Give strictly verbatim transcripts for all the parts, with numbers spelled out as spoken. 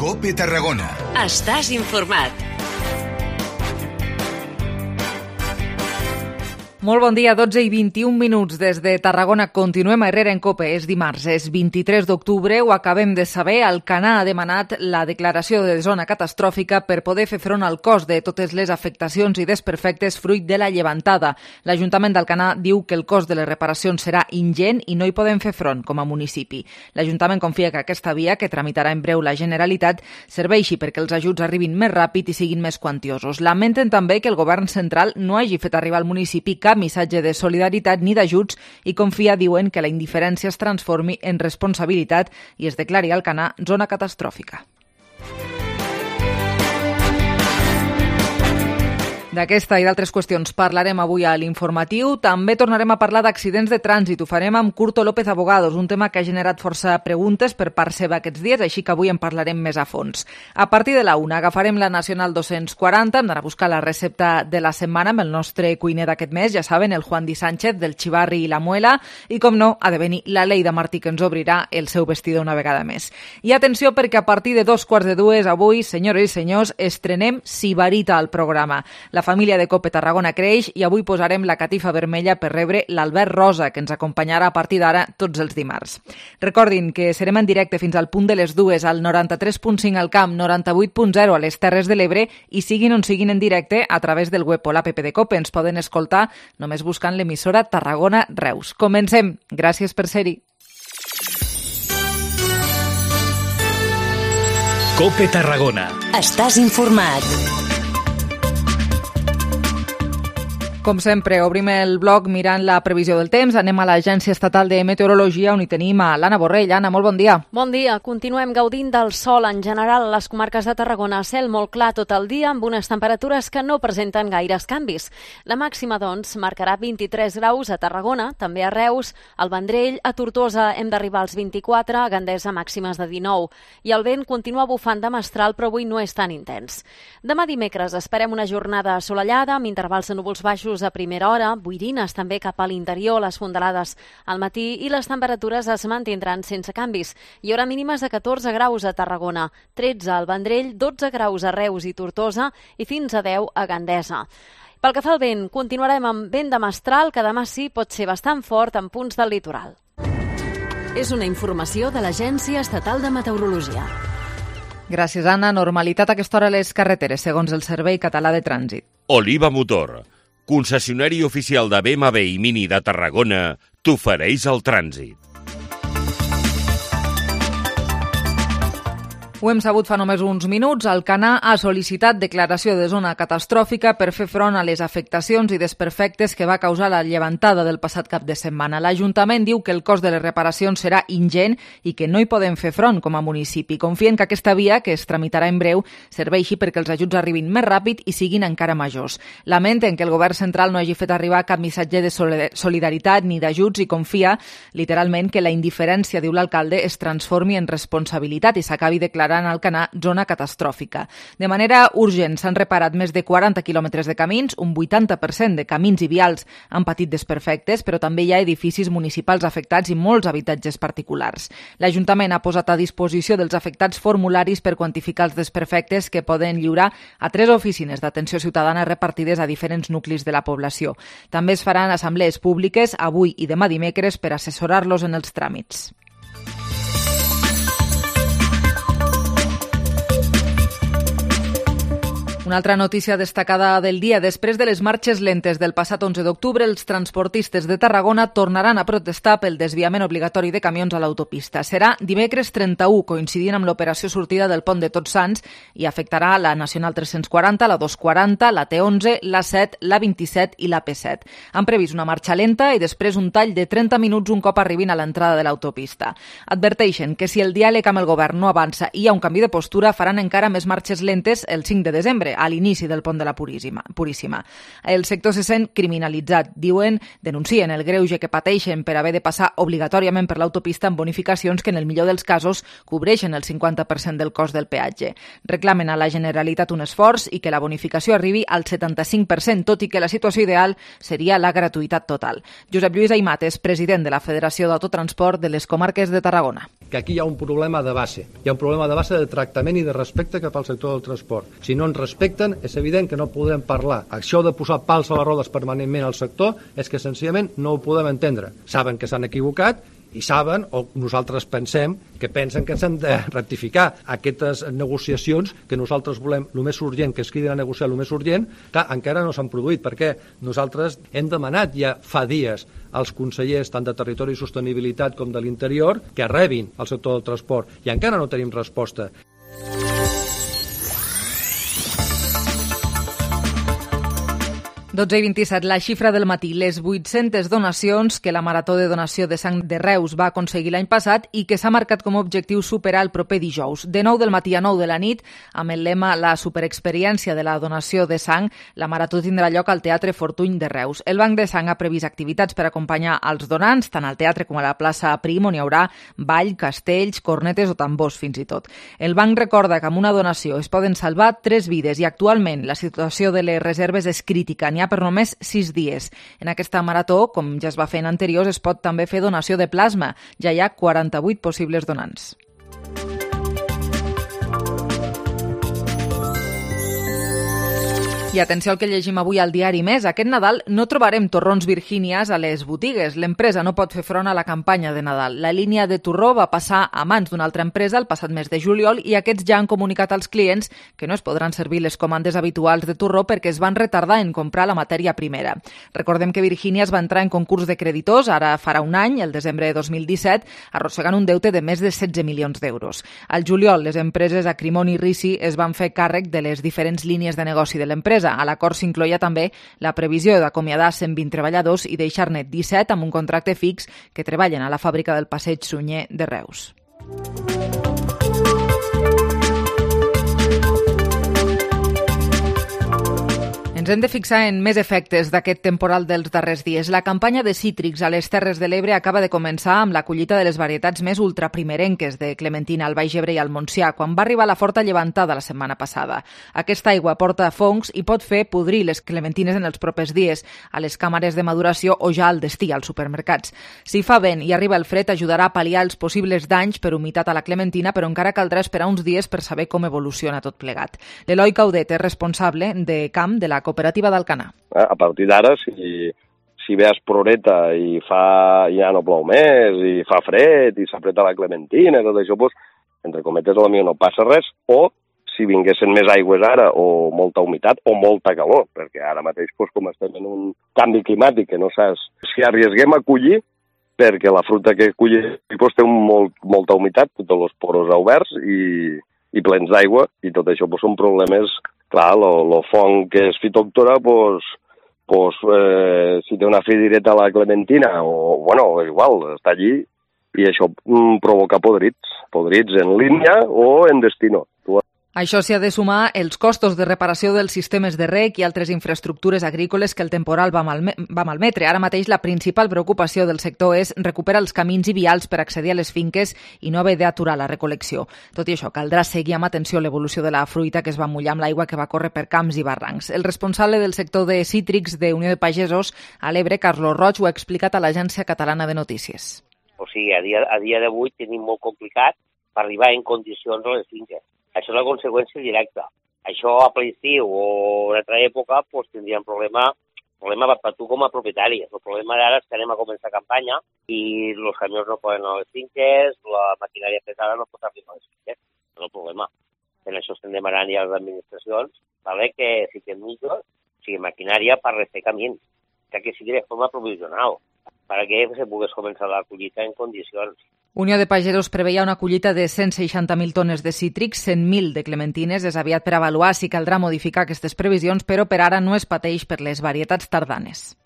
COPE Tarragona. Estàs informat. Molt bon dia, dotze i vint-i-un minuts des de Tarragona. Continuem a Herrera en COPE. És dimarts, és vint-i-tres d'octubre, ho acabem de saber. Alcanar ha demanat la declaració de zona catastròfica per poder fer front al cost de totes les afectacions i desperfectes fruit de la llevantada. L'Ajuntament d'Alcanar diu que el cost de les reparacions serà ingent i no hi podem fer front com a municipi. L'Ajuntament confia que aquesta via, que tramitarà en breu la Generalitat, serveixi perquè els ajuts arribin més ràpid i siguin més quantiosos. Lamenten també que el govern central no hagi fet arribar al municipi cap missatge de solidaritat ni d'ajuts i confia, diuen, que la indiferència es transformi en responsabilitat i es declari Alcanar zona catastròfica. D'aquesta i d'altres qüestions parlarem avui a l'informatiu. També tornarem a parlar d'accidents de trànsit. Ho farem amb Curto López Abogados, un tema que ha generat força preguntes per part seva aquests dies, així que avui en parlarem més a fons. A partir de la una agafarem la Nacional dos-cents quaranta, hem d'anar a buscar la recepta de la setmana amb el nostre cuiner d'aquest mes, ja saben, el Juan Di Sánchez, del xivarri i la muela, i com no, ha de venir la Leida Martí, que ens obrirà el seu vestidor una vegada més. I atenció, perquè a partir de dos quarts de dues avui, senyores i senyors, estrenem Sibarita al programa. La La família de COPE Tarragona creix i avui posarem la catifa vermella per rebre l'Albert Rosa, que ens acompanyarà a partir d'ara tots els dimarts. Recordin que serem en directe fins al punt de les dues al noranta-tres punt cinc al Camp, noranta-vuit punt zero a les Terres de l'Ebre i siguin on siguin en directe a través del web o l'app de COPE. Ens poden escoltar només buscant l'emissora Tarragona Reus. Comencem. Gràcies per ser-hi. COPE Tarragona. Estàs informat. Com sempre, obrim el blog mirant la previsió del temps. Anem a l'Agència Estatal de Meteorologia, on hi tenim a l'Anna Borrell. Anna, molt bon dia. Bon dia. Continuem gaudint del sol en general a les comarques de Tarragona. Cel molt clar tot el dia, amb unes temperatures que no presenten gaires canvis. La màxima, doncs, marcarà vint-i-tres graus a Tarragona, també a Reus, al Vendrell, a Tortosa hem d'arribar als vint-i-quatre, a Gandesa màximes de dinou. I el vent continua bufant de mestral, però avui no és tan intens. Demà dimecres esperem una jornada assolellada, amb intervals de núvols baixos a primera hora, boirines també cap a l'interior, les fondalades al matí i les temperatures es mantindran sense canvis. Hi haurà mínimes de catorze graus a Tarragona, tretze al Vendrell, dotze graus a Reus i Tortosa i fins a deu a Gandesa. Pel que fa al vent, continuarem amb vent de mestral, que demà sí pot ser bastant fort en punts del litoral. És una informació de l'Agència Estatal de Meteorologia. Gràcies, Anna. Normalitat a aquesta hora a les carreteres, segons el Servei Català de Trànsit. Oliva Motor, concessionari oficial de B M W i Mini de Tarragona, t'ofereix el trànsit. Ho hem sabut fa només uns minuts. Alcanar ha sol·licitat declaració de zona catastròfica per fer front a les afectacions i desperfectes que va causar la llevantada del passat cap de setmana. L'Ajuntament diu que el cost de les reparacions serà ingent i que no hi podem fer front com a municipi. Confien que aquesta via, que es tramitarà en breu, serveixi perquè els ajuts arribin més ràpid i siguin encara majors. Lamenten que el govern central no hagi fet arribar cap missatge de solidaritat ni d'ajuts i confia, literalment, que la indiferència, diu l'alcalde, es transformi en responsabilitat i s'acabi declarant en Alcanar zona catastròfica. De manera urgent s'han reparat més de quaranta quilòmetres de camins, un vuitanta per cent de camins i vials han patit desperfectes, però també hi ha edificis municipals afectats i molts habitatges particulars. L'Ajuntament ha posat a disposició dels afectats formularis per quantificar els desperfectes que poden lliurar a tres oficines d'atenció ciutadana repartides a diferents nuclis de la població. També es faran assemblees públiques avui i demà dimecres per assessorar-los en els tràmits. Una altra notícia destacada del dia. Després de les marxes lentes del passat onze d'octubre, els transportistes de Tarragona tornaran a protestar pel desviament obligatori de camions a l'autopista. Serà dimecres trenta-u, coincidint amb l'operació sortida del pont de Tots Sants, i afectarà la Nacional tres-cents quaranta, la dos-cents quaranta, la T onze, la set, la vint-i-set i la P set. Han previst una marxa lenta i després un tall de trenta minuts un cop arribin a l'entrada de l'autopista. Adverteixen que si el diàleg amb el govern no avança i hi ha un canvi de postura, faran encara més marxes lentes el cinc de desembre, a l'inici del pont de la Puríssima. Puríssima. El sector se sent criminalitzat. Diuen, denuncien el greuge que pateixen per haver de passar obligatòriament per l'autopista amb bonificacions que en el millor dels casos cobreixen el cinquanta per cent del cost del peatge. Reclamen a la Generalitat un esforç i que la bonificació arribi al setanta-cinc per cent, tot i que la situació ideal seria la gratuïtat total. Josep Lluís Aimat és president de la Federació d'Autotransport de les Comarques de Tarragona. Que aquí hi ha un problema de base. Hi ha un problema de base de tractament i de respecte cap al sector del transport. Si no ens respecten, és evident que no podrem parlar. Això de posar pals a les rodes permanentment al sector és que senzillament no ho podem entendre. Saben que s'han equivocat i saben, o nosaltres pensem, que pensen que s'han de rectificar aquestes negociacions que nosaltres volem el més urgent, que es quedin a negociar el més urgent, que encara no s'han produït, perquè nosaltres hem demanat ja fa dies als consellers tant de Territori i Sostenibilitat com de l'Interior que rebin el sector del transport i encara no tenim resposta. dotze i vint-i-set, la xifra del matí, les vuit-centes donacions que la Marató de Donació de Sang de Reus va aconseguir l'any passat i que s'ha marcat com a objectiu superar el proper dijous. De nou del matí a nou de la nit, amb el lema La superexperiència de la donació de sang, la Marató tindrà lloc al Teatre Fortuny de Reus. El Banc de Sang ha previst activitats per acompanyar els donants, tant al teatre com a la plaça Prim, on hi haurà ball, castells, cornetes o tambors, fins i tot. El banc recorda que amb una donació es poden salvar tres vides i actualment la situació de les reserves és crítica. N'hi ha per només sis dies. En aquesta marató, com ja es va fer en anteriors, es pot també fer donació de plasma. Ja hi ha quaranta-vuit possibles donants. I atenció al que llegim avui al diari Més. Aquest Nadal no trobarem torrons Virgínies a les botigues. L'empresa no pot fer front a la campanya de Nadal. La línia de torró va passar a mans d'una altra empresa el passat mes de juliol i aquests ja han comunicat als clients que no es podran servir les comandes habituals de torró perquè es van retardar en comprar la matèria primera. Recordem que Virgínies va entrar en concurs de creditors ara farà un any, el desembre de dos mil disset, arrossegant un deute de més de setze milions d'euros. Al juliol, les empreses Acrimoni i Risi es van fer càrrec de les diferents línies de negoci de l'empresa. A l'acord s'incloïa també la previsió d'acomiadar cent vint treballadors i deixar-ne disset amb un contracte fix que treballen a la fàbrica del Passeig Sunyer de Reus. Ens hem de fixar en més efectes d'aquest temporal dels darrers dies. La campanya de cítrics a les Terres de l'Ebre acaba de començar amb la collita de les varietats més ultraprimerenques de clementina al Baix Ebre i al Montsià, quan va arribar la forta llevantada la setmana passada. Aquesta aigua porta fongs i pot fer podrir les clementines en els propers dies, a les càmeres de maduració o ja al destí, als supermercats. Si fa vent i arriba el fred, ajudarà a pal·liar els possibles danys per humitat a la clementina, però encara caldrà esperar uns dies per saber com evoluciona tot plegat. L'Eloi Caudet és responsable de camp de la cooperativa d'Alcanar. A partir d'ara, si, si ve esproreta i fa, ja no plou més, i fa fred, i s'apreta la clementina, tot això, doncs, entre cometes, potser no passa res, o si vinguessin més aigües ara, o molta humitat, o molta calor, perquè ara mateix, doncs, com estem en un canvi climàtic que no saps si arriesguem a collir, perquè la fruita que collim doncs, té un molt, molta humitat, tots els poros oberts i, i plens d'aigua, i tot això doncs, són problemes. Clar, el fong que és fitòctora, pues, pues, eh, si té una fi directa a la clementina, o, bueno, igual, està allí, i això mm, provoca podrits, podrits en línia o en destino. Això s'hi ha de sumar els costos de reparació dels sistemes de rec i altres infraestructures agrícoles que el temporal va, malme va malmetre. Ara mateix la principal preocupació del sector és recuperar els camins i vials per accedir a les finques i no haver d'aturar la recol·lecció. Tot i això, caldrà seguir amb atenció l'evolució de la fruita que es va mullar amb l'aigua que va córrer per camps i barrancs. El responsable del sector de cítrics de Unió de Pagesos a l'Ebre, Carlos Roig, ho ha explicat a l'Agència Catalana de Notícies. O sigui, a dia, a dia d'avui tenim molt complicat per arribar en condicions a les finques. Això és la conseqüència directa. Això a ple estiu o en altra època doncs, tindríem problema, problema per tu com a propietari. El problema d'ara és que anem a començar campanya i els camions no poden anar a les finques, la maquinària pesada no pot arribar a les finques. No és el problema. En això estem demanant ja a les administracions vale, que fiquem millor, o sigui, maquinària per refer camins, que, que sigui de forma provisional, perquè se pogués començar la collita en condicions. Unió de Pagesos preveia una collita de cent seixanta mil tones de cítrics, cent mil de clementines. És aviat per avaluar si caldrà modificar aquestes previsions, però per ara no es pateix per les varietats tardanes.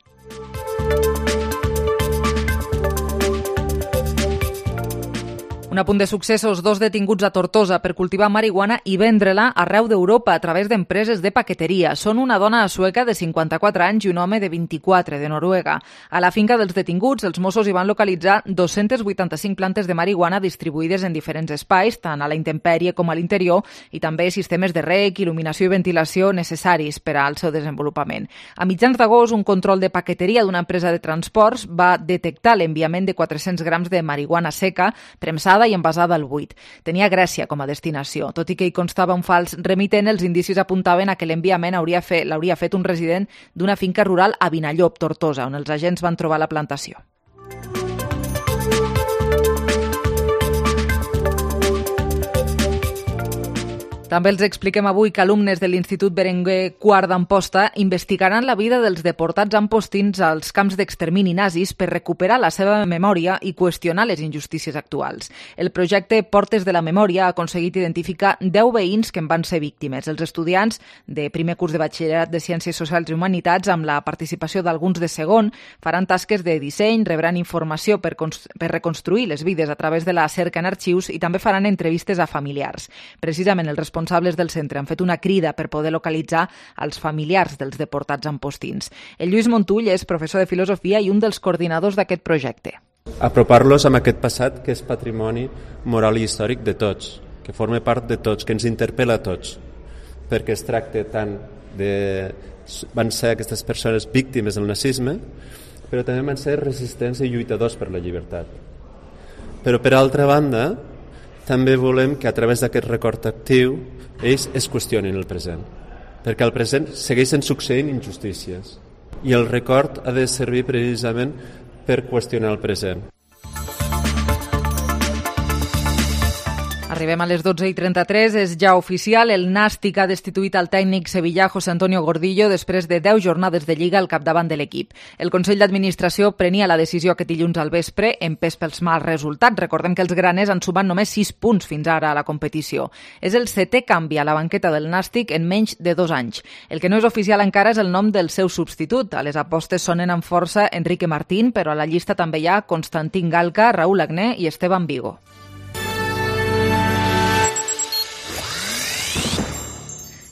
Un apunt de successos, dos detinguts a Tortosa per cultivar marihuana i vendre-la arreu d'Europa a través d'empreses de paqueteria. Són una dona sueca de cinquanta-quatre anys i un home de vint-i-quatre de Noruega. A la finca dels detinguts, els Mossos hi van localitzar dos-cents vuitanta-cinc plantes de marihuana distribuïdes en diferents espais, tant a la intempèrie com a l'interior, i també sistemes de rec, il·luminació i ventilació necessaris per al seu desenvolupament. A mitjans d'agost, un control de paqueteria d'una empresa de transports va detectar l'enviament de quatre-cents grams de marihuana seca, premsada i envasada al buit. Tenia Grècia com a destinació. Tot i que hi constava un fals remitent, els indicis apuntaven a que l'enviament hauria fet, l'hauria fet un resident d'una finca rural a Vinallop, Tortosa, on els agents van trobar la plantació. També els expliquem avui que alumnes de l'Institut Berenguer quart d'Amposta investigaran la vida dels deportats ampostins als camps d'extermini nazis per recuperar la seva memòria i qüestionar les injustícies actuals. El projecte Portes de la Memòria ha aconseguit identificar deu veïns que en van ser víctimes. Els estudiants de primer curs de batxillerat de Ciències Socials i Humanitats, amb la participació d'alguns de segon, faran tasques de disseny, rebran informació per, per reconstruir les vides a través de la cerca en arxius i també faran entrevistes a familiars. Precisament els responsables responsables del centre han fet una crida per poder localitzar els familiars dels deportats ampostins. El Lluís Montull és professor de filosofia i un dels coordinadors d'aquest projecte. Apropar-los amb aquest passat que és patrimoni moral i històric de tots, que forma part de tots, que ens interpel·la a tots, perquè es tracta tant de... van ser aquestes persones víctimes del nazisme, però també van ser resistents i lluitadors per la llibertat. Però per altra banda, també volem que a través d'aquest record actiu ells es qüestionin el present, perquè al present segueixen succeint injustícies i el record ha de servir precisament per qüestionar el present. Arribem a les dotze i trenta-tres, és ja oficial, el Nàstic ha destituït el tècnic sevillà José Antonio Gordillo després de deu jornades de Lliga al capdavant de l'equip. El Consell d'Administració prenia la decisió aquest dilluns al vespre, empès pels mals resultats. Recordem que els graners han sumat només sis punts fins ara a la competició. És el setè canvi a la banqueta del Nàstic en menys de dos anys. El que no és oficial encara és el nom del seu substitut. A les apostes sonen amb força Enrique Martín, però a la llista també hi ha Constantín Galca, Raúl Agné i Esteban Vigo.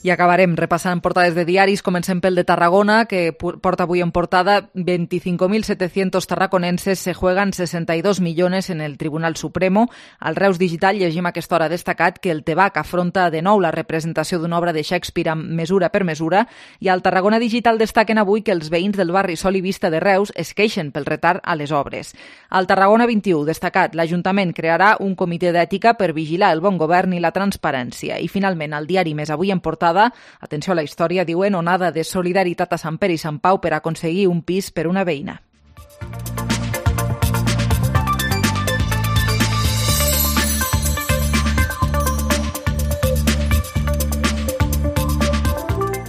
I acabarem repassant portades de diaris. Comencem pel de Tarragona, que porta avui en portada veinticinco mil setecientos tarraconenses se juegan sesenta y dos millones en el Tribunal Supremo. Al Reus Digital llegim a aquesta hora destacat que el Tebac afronta de nou la representació d'una obra de Shakespeare amb mesura per mesura, i al Tarragona Digital destaquen avui que els veïns del barri Sol i Vista de Reus es queixen pel retard a les obres. Al Tarragona vint-i-u destacat, l'Ajuntament crearà un comitè d'ètica per vigilar el bon govern i la transparència. I finalment, al diari Més avui en portada, atenció a la història, diuen onada de solidaritat a Sant Pere i Sant Pau per aconseguir un pis per una veïna.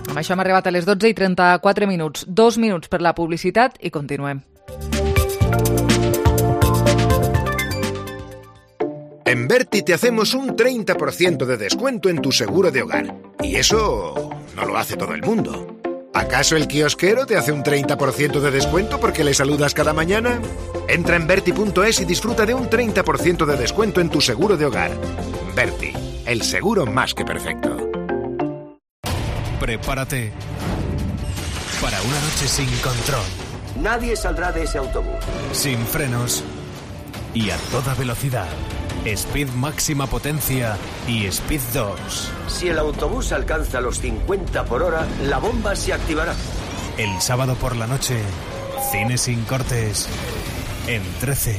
Amb això hem arribat a les dotze i trenta-quatre minuts. Dos minuts per la publicitat i continuem. En Berti te hacemos un treinta por ciento de descuento en tu seguro de hogar. Y eso no lo hace todo el mundo. ¿Acaso el kiosquero te hace un treinta por ciento de descuento porque le saludas cada mañana? Entra en Berti punto es y disfruta de un treinta por ciento de descuento en tu seguro de hogar. Berti, el seguro más que perfecto. Prepárate para una noche sin control. Nadie saldrá de ese autobús. Sin frenos y a toda velocidad. Speed máxima potencia y Speed dos. Si el autobús alcanza los cincuenta por hora, la bomba se activará. El sábado por la noche, cine sin cortes en trece.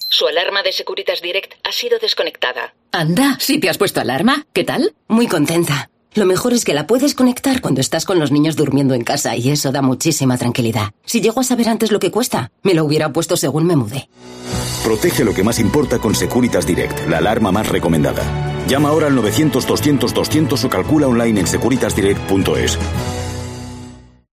Su alarma de Securitas Direct ha sido desconectada. Anda, ¿sí te has puesto alarma? ¿Qué tal? Muy contenta. Lo mejor es que la puedes conectar cuando estás con los niños durmiendo en casa y eso da muchísima tranquilidad. Si llego a saber antes lo que cuesta, me lo hubiera puesto según me mudé. Protege lo que más importa con Securitas Direct, la alarma más recomendada. Llama ahora al novecientos doscientos doscientos o calcula online en securitas direct punto es.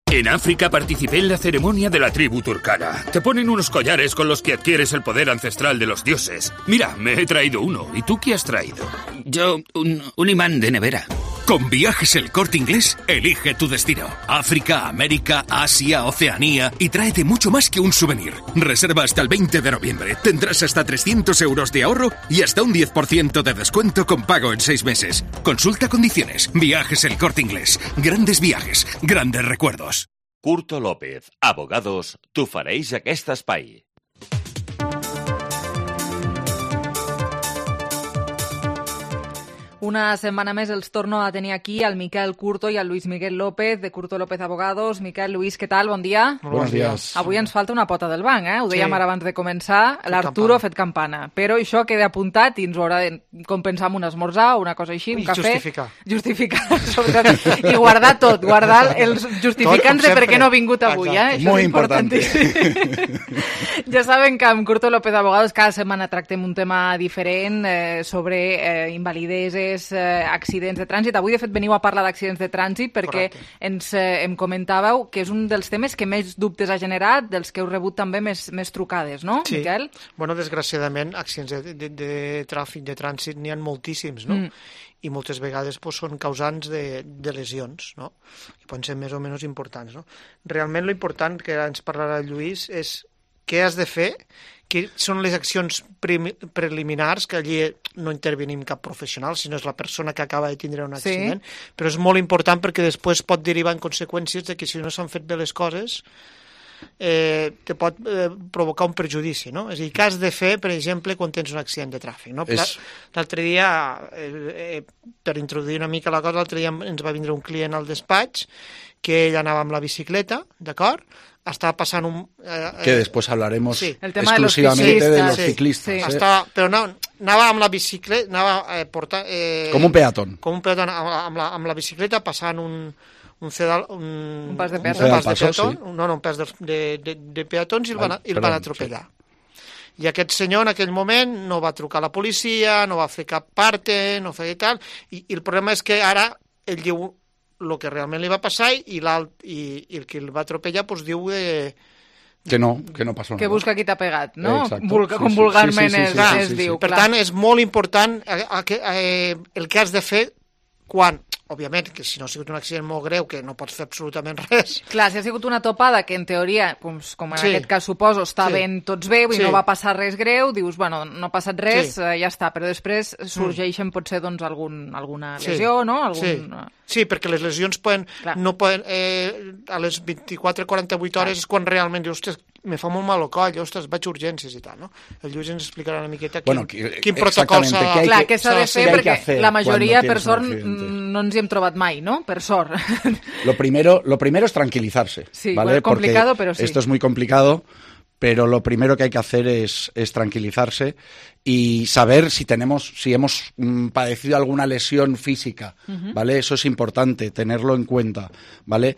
En África participé en la ceremonia de la tribu turcana. Te ponen unos collares con los que adquieres el poder ancestral de los dioses. Mira, me he traído uno. ¿Y tú qué has traído? Yo, un, un imán de nevera. Con Viajes El Corte Inglés, elige tu destino. África, América, Asia, Oceanía y tráete mucho más que un souvenir. Reserva hasta el veinte de noviembre. Tendrás hasta trescientos euros de ahorro y hasta un diez por ciento de descuento con pago en seis meses. Consulta condiciones. Viajes El Corte Inglés. Grandes viajes, grandes recuerdos. Curto López, abogados, t'ofereix aquest espai. Una setmana més els torno a tenir aquí al Miquel Curto i al Luis Miguel López, de Curto López Abogados. Miquel, Luis, què tal? Bon dia. Buenos días. Avui ens falta una pota del banc, eh? Ho dèiem Sí. ara abans de començar. L'Arturo ha fet campana. Però això queda apuntat i ens ho haurà de compensar amb un esmorzar o una cosa així, un I cafè. justificar. Justificar, sobretot. I guardar tot, guardar els justificants Tot, de per sempre. què no ha vingut avui, eh? Exacte. Això Muy és importante. Ja saben que amb Curto López Abogados cada setmana tractem un tema diferent eh, sobre eh, invalideses, eh, accidents de trànsit. Avui, de fet, veniu a parlar d'accidents de trànsit perquè Correcte. ens eh, em comentàveu que és un dels temes que més dubtes ha generat, dels que heu rebut també més, més trucades, no, Sí. Miquel? Bueno, desgraciadament, accidents de, de, de tràfic, de trànsit, n'hi ha moltíssims, no? Mm. I moltes vegades pues, són causants de, de lesions, no? Que poden ser més o menys importants, no? Realment, lo important que ens parlarà el Lluís és què has de fer, que són les accions pre preliminars, que allí no intervenim cap professional, sinó és la persona que acaba de tindre un accident, sí. Però és molt important perquè després pot derivar en conseqüències de que si no s'han fet bé les coses eh, te pot eh, provocar un perjudici, no? És a dir, què has de fer, per exemple, quan tens un accident de tràfic, no? És... L'altre dia, eh, eh, per introduir una mica la cosa, l'altre dia ens va vindre un client al despatx que ell anava amb la bicicleta, d'acord? Estava passant un... Eh, que después hablaremos sí. exclusivamente de los sí, ciclistas. Sí. ¿eh? Estava, però no, anava amb la bicicleta, anava eh, portar... Eh, com un peatón. Com un peatón, amb, amb, la, amb la bicicleta passant un... un, cedal, un, un pas de peatón, peatón, un pas de peatón sí. no, no, un pas de, de, de, de peatons i el van, Ai, el van atropellar. Sí. I aquest senyor en aquell moment no va trucar a la policia, no va fer cap parte, no feia tal, i, i el problema és que ara ell diu el que realment li va passar i, i, i el que el va atropellar pues, diu de... Que no, que no passó que nada. busca qui t'ha pegat, no? Exacto. Vulga, Sí, com sí, vulgarment sí, sí, sí, es, sí, sí, es sí, diu. Per clar. tant, és molt important eh, eh, el que has de fer quan, òbviament, que si no ha sigut un accident molt greu, que no pots fer absolutament res. Clar, si ha sigut una topada que en teoria, com, com en Sí. aquest cas suposo, està Sí. ben tots bé i Sí. no va passar res greu, dius, bueno, no ha passat res, Sí. eh, ja està, però després sorgeixen potser doncs algun, alguna Sí. lesió, no? Algun... Sí. Sí, perquè les lesions poden, no poden, eh, a les vint-i-quatre a quaranta-vuit hores és quan realment dius, ostres, me fa molt mal el coll, ostres, vaig a urgències i tal, no? El Lluís ens explicarà una miqueta quin, Bueno, que- quin protocol s'ha de... Clar, què s'ha de fer? Perquè la majoria, per tienes un sort, accidente. no ens hi hem trobat mai, no? Per sort. Lo primero, lo primero es tranquilizarse. Sí, ¿vale? bueno, complicado, Porque pero sí. Esto es muy complicado, pero lo primero que hay que hacer es, es tranquilizarse y saber si tenemos, si hemos mm, padecido alguna lesión física, Ujú. ¿vale? Eso es importante, tenerlo en cuenta, ¿vale?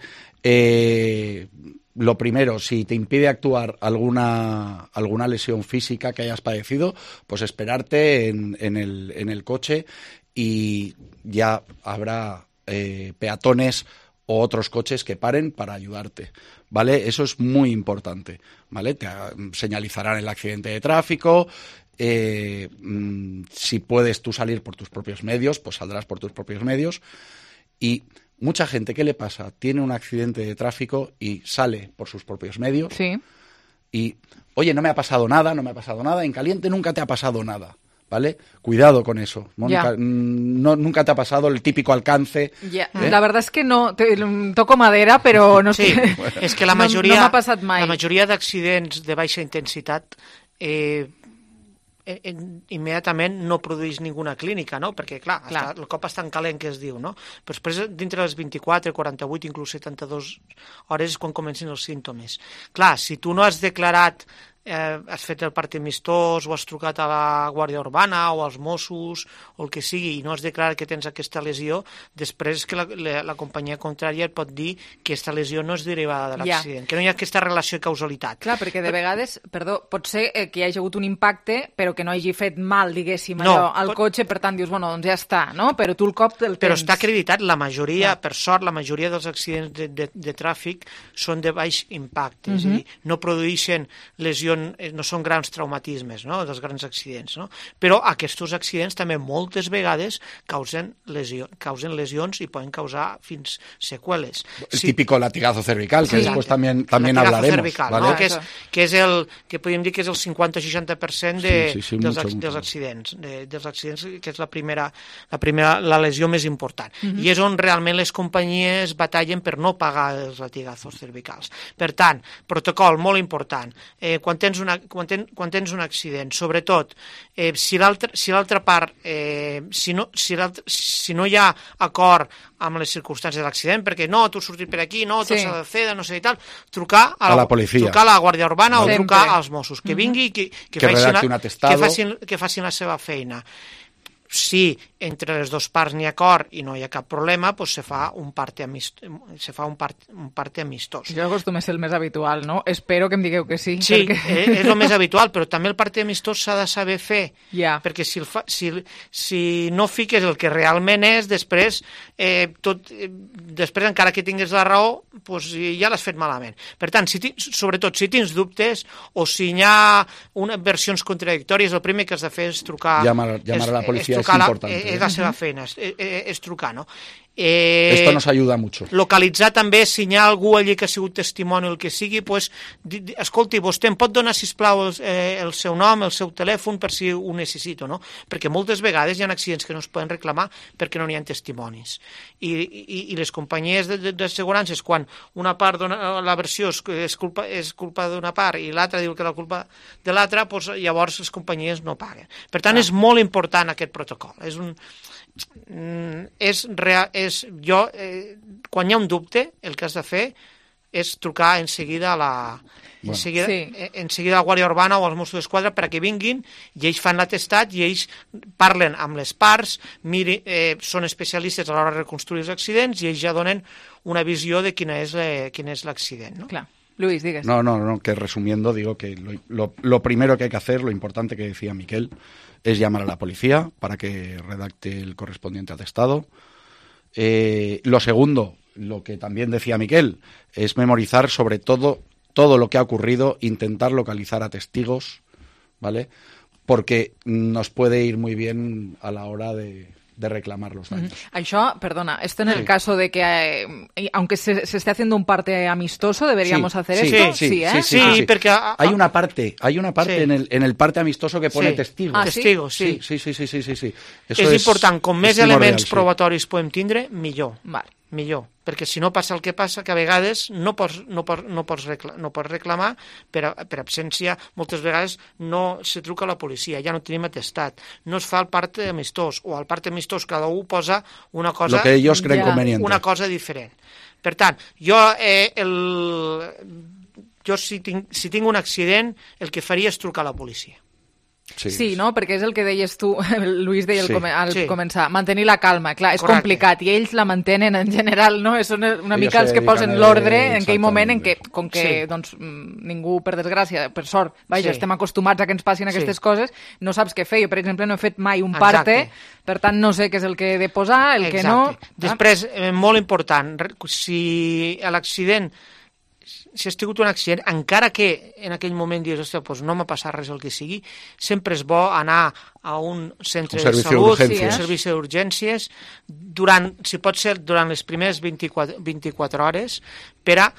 Eh, lo primero, si te impide actuar alguna, alguna lesión física que hayas padecido, pues esperarte en, en, el, en el coche y ya habrá eh, peatones o otros coches que paren para ayudarte, ¿vale? Eso es muy importante, ¿vale? Te ah, señalizarán el accidente de tráfico, eh, mm, si puedes tú salir por tus propios medios, pues saldrás por tus propios medios. Y mucha gente, ¿qué le pasa? Tiene un accidente de tráfico y sale por sus propios medios. Sí. Y, oye, no me ha pasado nada, no me ha pasado nada, en caliente nunca te ha pasado nada. ¿Vale? Cuidado con eso. Mónica, Ya. no, nunca te ha pasado el típico alcance. Ja, ¿eh? La verdad es que no, te, toco madera, però no Sí, sé. és que la No- majoria, no m'ha passat mai. la majoria d'accidents de baixa intensitat eh, eh, eh, immediatament no produeix ninguna clínica, no? Perquè, clar, Clar. Està, el cop està en calent, que es diu, no? Però després, dintre les vint-i-quatre, quaranta-vuit, inclús setanta-dues hores és quan comencen els símptomes. Clar, si tu no has declarat eh, has fet el part amistós o has trucat a la Guàrdia Urbana o als Mossos o el que sigui i no has declarat que tens aquesta lesió, després que la, la, la companyia contrària et pot dir que aquesta lesió no és derivada de Ja. l'accident, que no hi ha aquesta relació i causalitat. Clar, perquè de vegades, perdó, pot ser eh, que hi hagi hagut un impacte, però que no hagi fet mal, diguéssim, No, allò, al pot- cotxe, per tant dius, bueno, doncs ja està, no? Però tu el cop el tens. Però està acreditat, la majoria, Ja. per sort, la majoria dels accidents de, de, de tràfic són de baix impacte, és a Mhm. dir, no produeixen lesions són, no són grans traumatismes, no?, dels grans accidents, no? Però aquests accidents també moltes vegades causen, lesio, causen lesions i poden causar fins seqüeles. El sí. típico latigazo cervical, que sí. después también, también hablaremos. Cervical, ¿vale? no? que, és, que és el que podríem dir que és el cinquanta a seixanta per cent de, sí, sí, sí, dels, mucho, dels mucho. accidents, de, dels accidents, que és la primera, la primera, la lesió més important. Mhm. I és on realment les companyies batallen per no pagar els latigazos cervicals. Per tant, protocol molt important. Eh, quan, tens una, quan, ten, quan tens un accident, sobretot, eh, si l'altra si l'altra part, eh, si, no, si, si no hi ha acord amb les circumstàncies de l'accident, perquè no, tu has sortit per aquí, no, tu Sí. s'ha de fer, no sé i tal, trucar a la, A la policia. trucar a la Guàrdia Urbana Sempre. o trucar als Mossos, que vingui i que, que, Que facin redacti la, un atestado. que, facin, que facin la seva feina. Si entre les dues parts n'hi ha acord i no hi ha cap problema, doncs se fa un parte, amist... se fa un part... un parte amistós. Jo acostuma a ser el més habitual, no? Espero que em digueu que sí. Sí, perquè... eh, és el més habitual, però també el parte amistós s'ha de saber fer, ja. perquè si, el fa, si, si no fiques el que realment és, després, eh, tot, eh, després encara que tingues la raó, doncs ja l'has fet malament. Per tant, si sobretot si tens dubtes o si hi ha unes versions contradictòries, el primer que has de fer és trucar... Llamar, llamar a la policia és, es importante. La, és la seva feina, és, és, és trucar, no? Eh, Esto nos ayuda mucho. Localitzar també, si hi ha algú allí que ha sigut testimoni o el que sigui, pues, di, di, escolti, vostè em pot donar, sisplau, el, eh, el seu nom, el seu telèfon, per si ho necessito, no? Perquè moltes vegades hi ha accidents que no es poden reclamar perquè no n'hi ha testimonis. I, i, i les companyies d'assegurances, quan una part dona la versió és, és culpa, és culpa d'una part i l'altra diu que la culpa de l'altra, pues, llavors les companyies no paguen. Per tant, ah. és molt important aquest protocol. És un... és real, és jo, eh, quan hi ha un dubte, el que has de fer és trucar en seguida a la, bueno. en seguida, sí. en seguida a la Guàrdia Urbana o als Mossos d'Esquadra perquè vinguin i ells fan l'atestat i ells parlen amb les parts, miri, eh, són especialistes a l'hora de reconstruir els accidents i ells ja donen una visió de quina és, eh, quin és l'accident. No? Clar. Luis, digues. No, no, no, que resumiendo digo que lo, lo, lo primero que hay que hacer, lo importante que decía Miquel, es llamar a la policía para que redacte el correspondiente atestado. Eh, lo segundo, lo que también decía Miquel, es memorizar sobre todo todo lo que ha ocurrido, intentar localizar a testigos, ¿vale? Porque nos puede ir muy bien a la hora de... de reclamar los daños. Mm-hmm. Això, perdona, esto en el sí. caso de que, eh, aunque se, se esté haciendo un parte amistoso, deberíamos sí, hacer sí, esto. Sí, sí, ¿eh? sí, sí, sí, sí. Porque a, a, hay una parte, hay una parte sí. en, el, en el parte amistoso que pone sí. testigos. Ah, testigos, sí. Sí, sí, sí, sí, sí, sí. Eso és, és important, com més elements real, probatoris sí. podem tindre, millor. Vale. Millor, perquè si no passa el que passa, que a vegades no pots, no pots, no pots, recla, no pots reclamar per, per absència, moltes vegades no se truca a la policia, ja no tenim atestat, no es fa el parte amistós, o al parte amistós cada un posa una cosa, lo que ellos creen ja, conveniente. Una cosa diferent. Per tant, jo, eh, el, jo si, tinc, si tinc un accident, el que faria és trucar a la policia. Sí, sí, no? Perquè és el que deies tu, Luis deia al, sí, come, al sí. començar, mantenir la calma. Clar, és Correcte. complicat i ells la mantenen en general, no? Són una ells mica els que posen l'ordre en aquell moment en què, com que sí. doncs, ningú, per desgràcia, per sort, vaja, sí. estem acostumats a que ens passin aquestes sí. coses, no saps què fer. Jo, per exemple, no he fet mai un parte, exacte. Per tant, no sé què és el que he de posar, el exacte. Que no... Després, eh, molt important, si l'accident si has tingut un accident, encara que en aquell moment dius, ostres, doncs no m'ha passat res el que sigui, sempre és bo anar a un centre un de salut, sí, un servici d'urgències, durant, si pot ser, durant les primeres vint-i-quatre, vint-i-quatre hores, per a,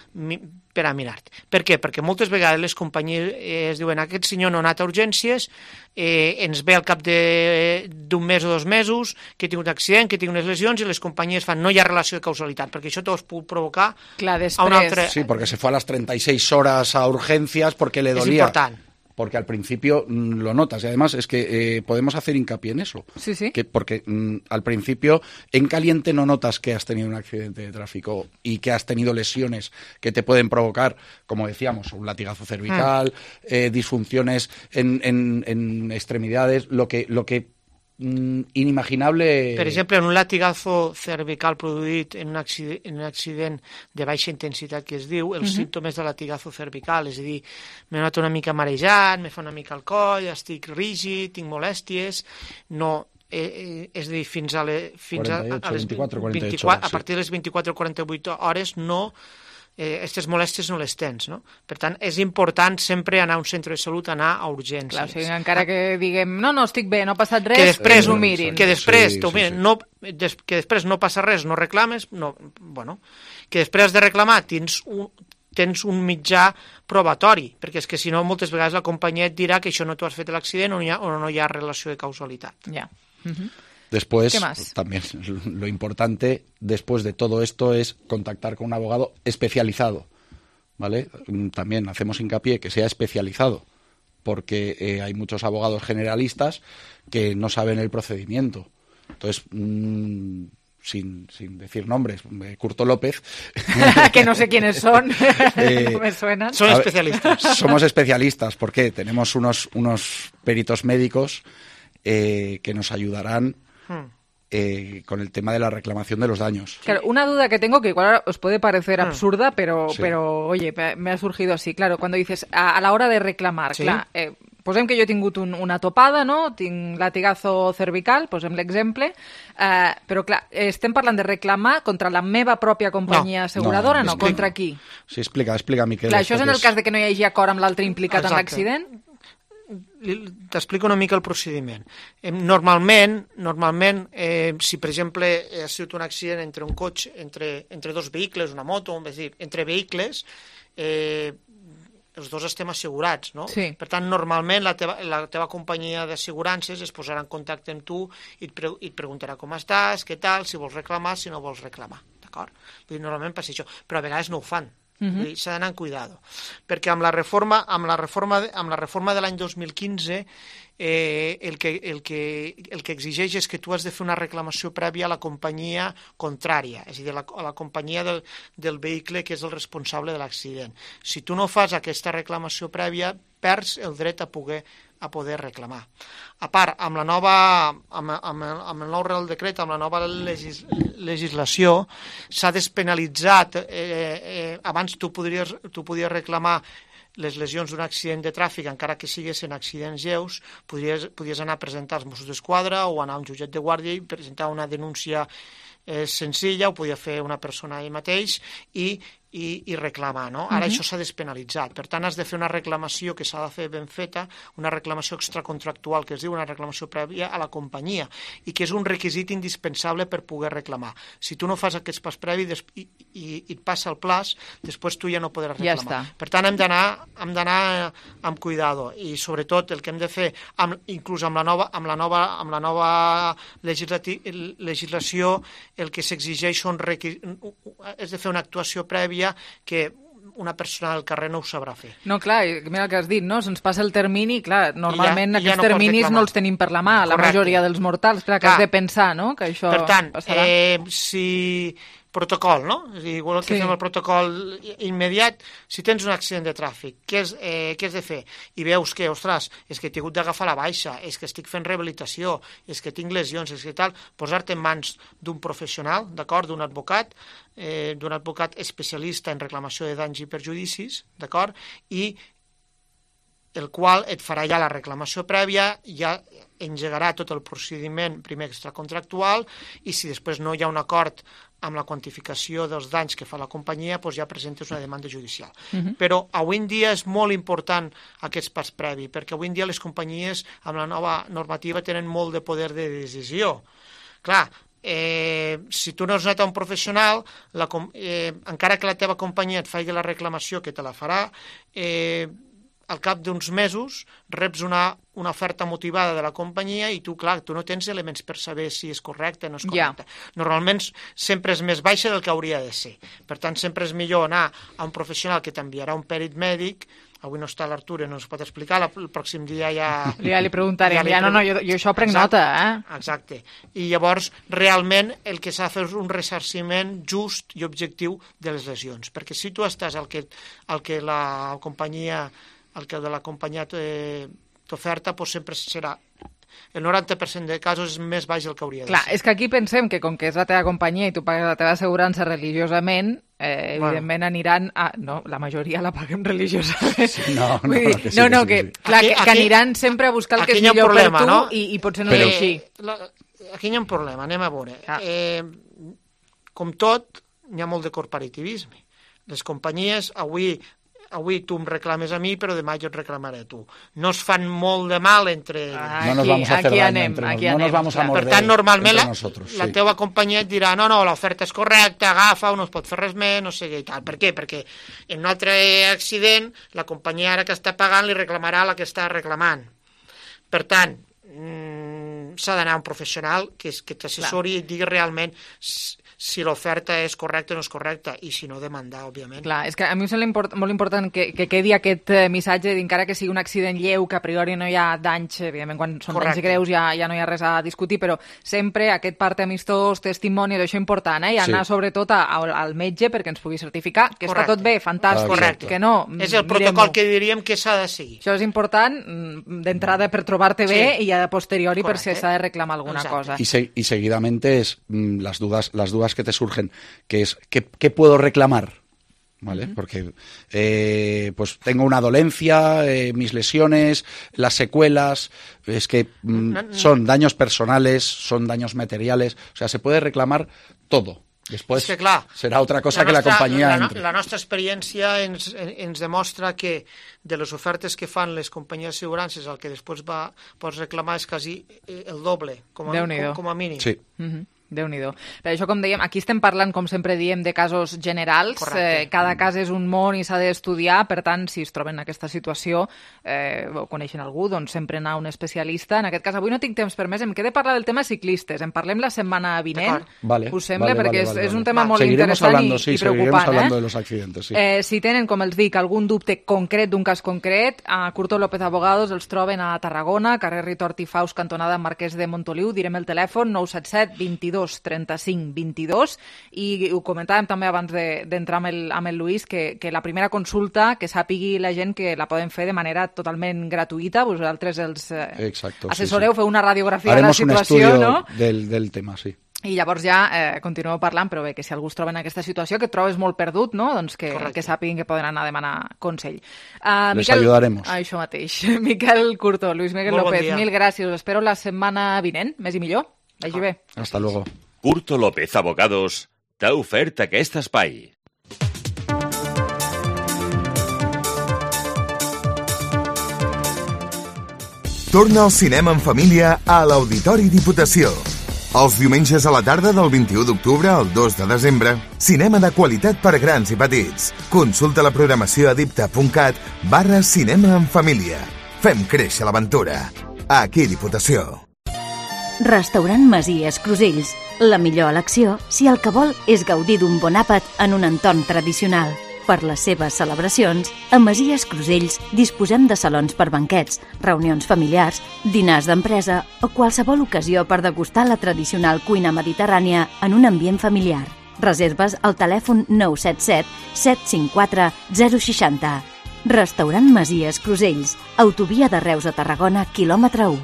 per a mirar-te. Per què? Perquè moltes vegades les companyies eh, es diuen, aquest senyor no ha anat a urgències, eh, ens ve al cap d'un mes o dos mesos, que tinc un accident, que tinc unes lesions, i les companyies fan, no hi ha relació de causalitat, perquè això t'ho pot provocar Clar, a un altre... Sí, porque se fue a las treinta y seis horas a urgencias porque le dolía. Es important. Porque al principio mmm, lo notas. Y además es que eh, podemos hacer hincapié en eso. Sí, sí. Que porque mmm, al principio en caliente no notas que has tenido un accidente de tráfico y que has tenido lesiones que te pueden provocar, como decíamos, un latigazo cervical, mm. eh, disfunciones en, en, en extremidades, lo que... Lo que inimaginable... Per exemple, en un latigazo cervical produït en un, accident, en un accident de baixa intensitat que es diu, els uh-huh. símptomes de latigazo cervical, és a dir, m'he anat una mica marejat, me fa una mica el coll, estic rígid, tinc molèsties, no... Eh, és a dir, fins a, le, fins quaranta-ocho, a, a les vint-i-quatre, quaranta-ocho vint-i-quatre, hores, a partir de les vint-i-quatre o quaranta-vuit hores no aquestes eh, molèsties no les tens, no? Per tant, és important sempre anar a un centre de salut, anar a urgències. Clar, o sigui, encara que diguem, no, no, estic bé, no ha passat res, que després ho mirin. Que després, sí, sí, sí, sí. No, des, que després no passa res, no reclames, no, bueno, que després has de reclamar, tens un, tens un mitjà probatori, perquè és que si no moltes vegades la companyia et dirà que això no t'ho has fet l'accident o, o no hi ha relació de causalitat. Ja. Uh-huh. Después, ¿qué más? También lo importante después de todo esto es contactar con un abogado especializado, ¿vale? También hacemos hincapié que sea especializado, porque eh, hay muchos abogados generalistas que no saben el procedimiento. Entonces, mmm, sin, sin decir nombres, Curto López... que no sé quiénes son, eh, no me suenan. Son especialistas. Ver, somos especialistas, porque tenemos unos, unos peritos médicos eh, que nos ayudarán Eh, con el tema de la reclamación de los daños. Claro, una duda que tengo que igual os puede parecer absurda, pero, sí. pero oye, me ha surgido así. Claro, cuando dices a, a la hora de reclamar, sí. clar, eh, posem que jo he tingut un, una topada, no? Tinc latigazo cervical, posem l'exemple, eh, però clar, estem parlant de reclamar contra la meva pròpia companyia no, asseguradora, no? no? Contra qui? Sí, explica, explica, Miquel. Clar, això és en el cas de que no hi hagi acord amb l'altre implicat Exacte. en l'accident? T'explico una mica el procediment. Normalment, normalment eh, si per exemple ha sigut un accident entre un cotxe, entre, entre dos vehicles, una moto, és dir, entre vehicles, eh, els dos estem assegurats, no? Sí. Per tant, normalment la teva, la teva companyia d'assegurances es posarà en contacte amb tu i et, pre i et preguntarà com estàs, què tal, si vols reclamar, si no vols reclamar, d'acord? Normalment passa això, però a vegades no ho fan. Uh-huh. S'ha d'anar amb cuidado, perquè amb la reforma, amb la reforma, de, amb la reforma de l'any dos mil quinze eh, el, que, el, que, el que exigeix és que tu has de fer una reclamació prèvia a la companyia contrària, és a dir, a la, a la companyia del, del vehicle que és el responsable de l'accident. Si tu no fas aquesta reclamació prèvia, perds el dret a poder a poder reclamar. A part, amb la nova, amb, amb, el, amb el nou Real Decret, amb la nova legis, legislació, s'ha despenalitzat, eh, eh, abans tu podries, tu podies reclamar les lesions d'un accident de tràfic, encara que siguessin accidents lleus, podries, podries anar a presentar als Mossos d'Esquadra o anar a un jutjat de guàrdia i presentar una denúncia eh, senzilla, ho podia fer una persona ell mateix, i I, i reclamar, no? Ara uh-huh. això s'ha despenalitzat. Per tant, has de fer una reclamació que s'ha de fer ben feta, una reclamació extracontractual, que es diu una reclamació prèvia a la companyia, i que és un requisit indispensable per poder reclamar. Si tu no fas aquest pas previ i, i, i et passa el plaç, després tu ja no podràs reclamar. Ja per tant, hem d'anar hem d'anar amb cuidado, i sobretot el que hem de fer, amb, inclús amb la nova, amb la nova, amb la nova legislació, el que s'exigeix són requis... és de fer una actuació prèvia que una persona del carrer no ho sabrà fer. No, clar, mira el que has dit, no? Se'ns passa el termini, clar, normalment ja, aquests ja no terminis no els tenim per la mà, la majoria dels mortals, clar, que clar. Has de pensar, no?, que això per tant, passarà. Eh, si... protocol, no? És a dir, igual que sí. fem el protocol immediat, si tens un accident de tràfic, què has, eh, què has de fer? I veus que, ostres, és que he hagut d'agafar la baixa, és que estic fent rehabilitació, és que tinc lesions, és que tal, posar-te en mans d'un professional, d'acord, d'un advocat, eh, d'un advocat especialista en reclamació de danys i perjudicis, d'acord, i el qual et farà ja la reclamació prèvia, ja engegarà tot el procediment primer extracontractual, i si després no hi ha un acord amb la quantificació dels danys que fa la companyia, doncs ja presentes una demanda judicial. Uh-huh. Però avui en dia és molt important aquest pas previ, perquè avui en dia les companyies amb la nova normativa tenen molt de poder de decisió. Clar, eh, si tu no has anat a un professional, la, eh, encara que la teva companyia et faci la reclamació, que te la farà, eh, al cap d'uns mesos reps una, una oferta motivada de la companyia i tu, clar, tu no tens elements per saber si és correcte o no és correcte. Yeah. Normalment sempre és més baixa del que hauria de ser. Per tant, sempre és millor anar a un professional que t'enviarà un pèrit mèdic. Avui no està l'Artur, no ens pot explicar, el pròxim dia ja... Ja li preguntarem, ja, li ja no, no, jo, jo això prenc exacte, nota, eh? Exacte. I llavors, realment, el que s'ha de fer és un ressarciment just i objectiu de les lesions. Perquè si tu estàs al que, al que la companyia... el que de la companyia t'oferta, doncs sempre serà el noranta per cent de casos és més baix del que hauria de Clar, ser. És que aquí pensem que com que és la teva companyia i tu pagues la teva assegurança religiosament, eh, bueno. evidentment aniran a... No, la majoria la paguem religiosament. Sí, no, no, dir, que sí, no, no, que, que, sí, sí. clar, aquí, que, aquí, que aniran sempre a buscar el que és millor problema, per tu, no? i, i potser no Però, és així. La, aquí hi ha un problema, anem a veure. Ah. Eh, com tot, n'hi ha molt de corporativisme. Les companyies, avui avui tu em reclames a mi, però demà jo et reclamaré a tu. No es fan molt de mal entre... Aquí, no nos vamos a hacer daño anem, entre nos, no nos vamos a morder. Per tant, normalment la, nosotros, la sí. teva companyia et dirà no, no, l'oferta és correcta, agafa, no es pot fer res més, no sé què i tal. Per què? Perquè en un altre accident la companyia ara que està pagant li reclamarà a la que està reclamant. Per tant, mmm, s'ha d'anar a un professional que, que t'assessori i et digui realment si l'oferta és correcta o no és correcta, i si no, demandar, òbviament. Clar, és que a mi em sembla import, molt important que, que quedi aquest missatge d'encara que sigui un accident lleu, que a priori no hi ha danys, evidentment quan són Correcte. danys greus ja, ja no hi ha res a discutir, però sempre aquest part amistós, testimoni, això és important, eh? I anar sí. sobretot a, a, al metge perquè ens pugui certificar que Correcte. està tot bé, fantàstic, Correcte. que no... És el protocol que diríem que s'ha de seguir. Això és important d'entrada per trobar-te sí. bé i a posteriori Correcte. per si s'ha de reclamar alguna Exacte. cosa. Y, se, y seguidamente es mm, las dudas, las dudas que te surgen, que es ¿qué, qué puedo reclamar? ¿Vale? Uh-huh. Porque eh, pues tengo una dolencia, eh, mis lesiones, las secuelas, es que mm, no, no. son daños personales, son daños materiales, o sea, se puede reclamar todo. Després que, clar, serà altra cosa la nostra, que la companyia la, entre. La nostra experiència ens, ens demostra que de les ofertes que fan les companyies d'assegurances el que després va, pots reclamar és quasi el doble, com a, com, com a mínim. Sí. Uh-huh. Déu-n'hi-do. Per això, com dèiem, aquí estem parlant, com sempre diem, de casos generals. Eh, cada cas és un món i s'ha d'estudiar, per tant, si es troben en aquesta situació eh, o coneixen algú, doncs sempre anar a un especialista. En aquest cas, avui no tinc temps per més, em queda parlar del tema ciclistes. En parlem la setmana vinent, vale, us sembla? Vale, perquè vale, vale, és, és un vale. tema molt seguiremos interessant hablando, i, sí, i preocupant. Seguiremos hablando eh? de los accidentes, sí. Eh, si tenen, com els dic, algun dubte concret d'un cas concret, a Curto López Abogados els troben a Tarragona, carrer Ritort i Faus, cantonada Marquès de Montoliu. Direm el telèfon nou set set vint-i-dos trenta-cinc vint-i-dos, i ho comentàvem també abans d'entrar de, amb, el, amb el Lluís, que, que la primera consulta, que sàpigui la gent que la poden fer de manera totalment gratuïta, vosaltres els eh, Exacto, assessoreu, sí, sí. feu una radiografia Haremos de la situació, un no? Del, del tema, sí. I llavors ja eh, continueu parlant, però bé, que si algú es troba en aquesta situació, que et trobes molt perdut, no? Doncs que, que sàpiguin que poden anar a demanar consell. Uh, Les Miquel... ayudaremos. Ah, això mateix. Miquel Curto, Luis Miguel Molt López, bon mil gràcies. Us espero la setmana vinent, més i millor. Vagi bé. Hasta luego. Curto López Abogados t'ha ofert aquest espai. Torna al cinema en família a l'Auditori Diputació. Els diumenges a la tarda del vint-i-u d'octubre al dos de desembre, cinema de qualitat per grans i petits. Consulta la programació a dipta.cat barra cinema en família. Fem créixer l'aventura. Aquí Diputació. Restaurant Masies Crusells. La millor elecció si el que vol és gaudir d'un bon àpat en un entorn tradicional. Per les seves celebracions, a Masies Crusells disposem de salons per banquets, reunions familiars, dinars d'empresa o qualsevol ocasió per degustar la tradicional cuina mediterrània en un ambient familiar. Reserves al telèfon nou set set set cinc quatre zero sis zero. Restaurant Masies Crusells, autovia de Reus a Tarragona, quilòmetre u.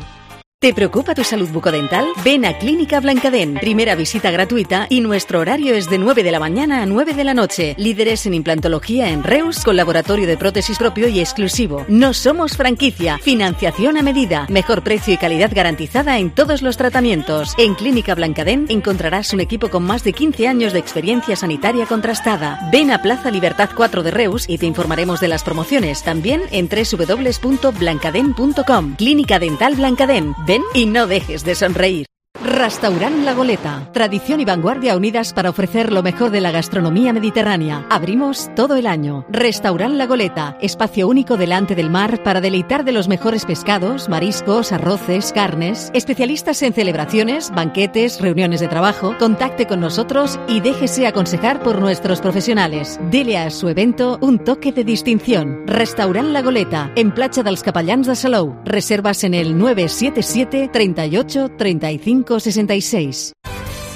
¿Te preocupa tu salud bucodental? Ven a Clínica Blancadén. Primera visita gratuita y nuestro horario es de nueve de la mañana a nueve de la noche. Líderes en implantología en Reus con laboratorio de prótesis propio y exclusivo. No somos franquicia. Financiación a medida. Mejor precio y calidad garantizada en todos los tratamientos. En Clínica Blancadén encontrarás un equipo con más de quince años de experiencia sanitaria contrastada. Ven a Plaza Libertad cuatro de Reus y te informaremos de las promociones. También en doble u doble u doble u punto blancadén punto com. Clínica Dental Blancadén. Ven y no dejes de sonreír. Restaurant La Goleta. Tradición y vanguardia unidas para ofrecer lo mejor de la gastronomía mediterránea. Abrimos todo el año. Restaurant La Goleta. Espacio único delante del mar para deleitar de los mejores pescados, mariscos, arroces, carnes. Especialistas en celebraciones, banquetes, reuniones de trabajo. Contacte con nosotros y déjese aconsejar por nuestros profesionales. Dele a su evento un toque de distinción. Restaurant La Goleta. En Platja dels Capellans de Salou. Reservas en el nueve siete siete, treinta y ocho, treinta y cinco sesenta y seis.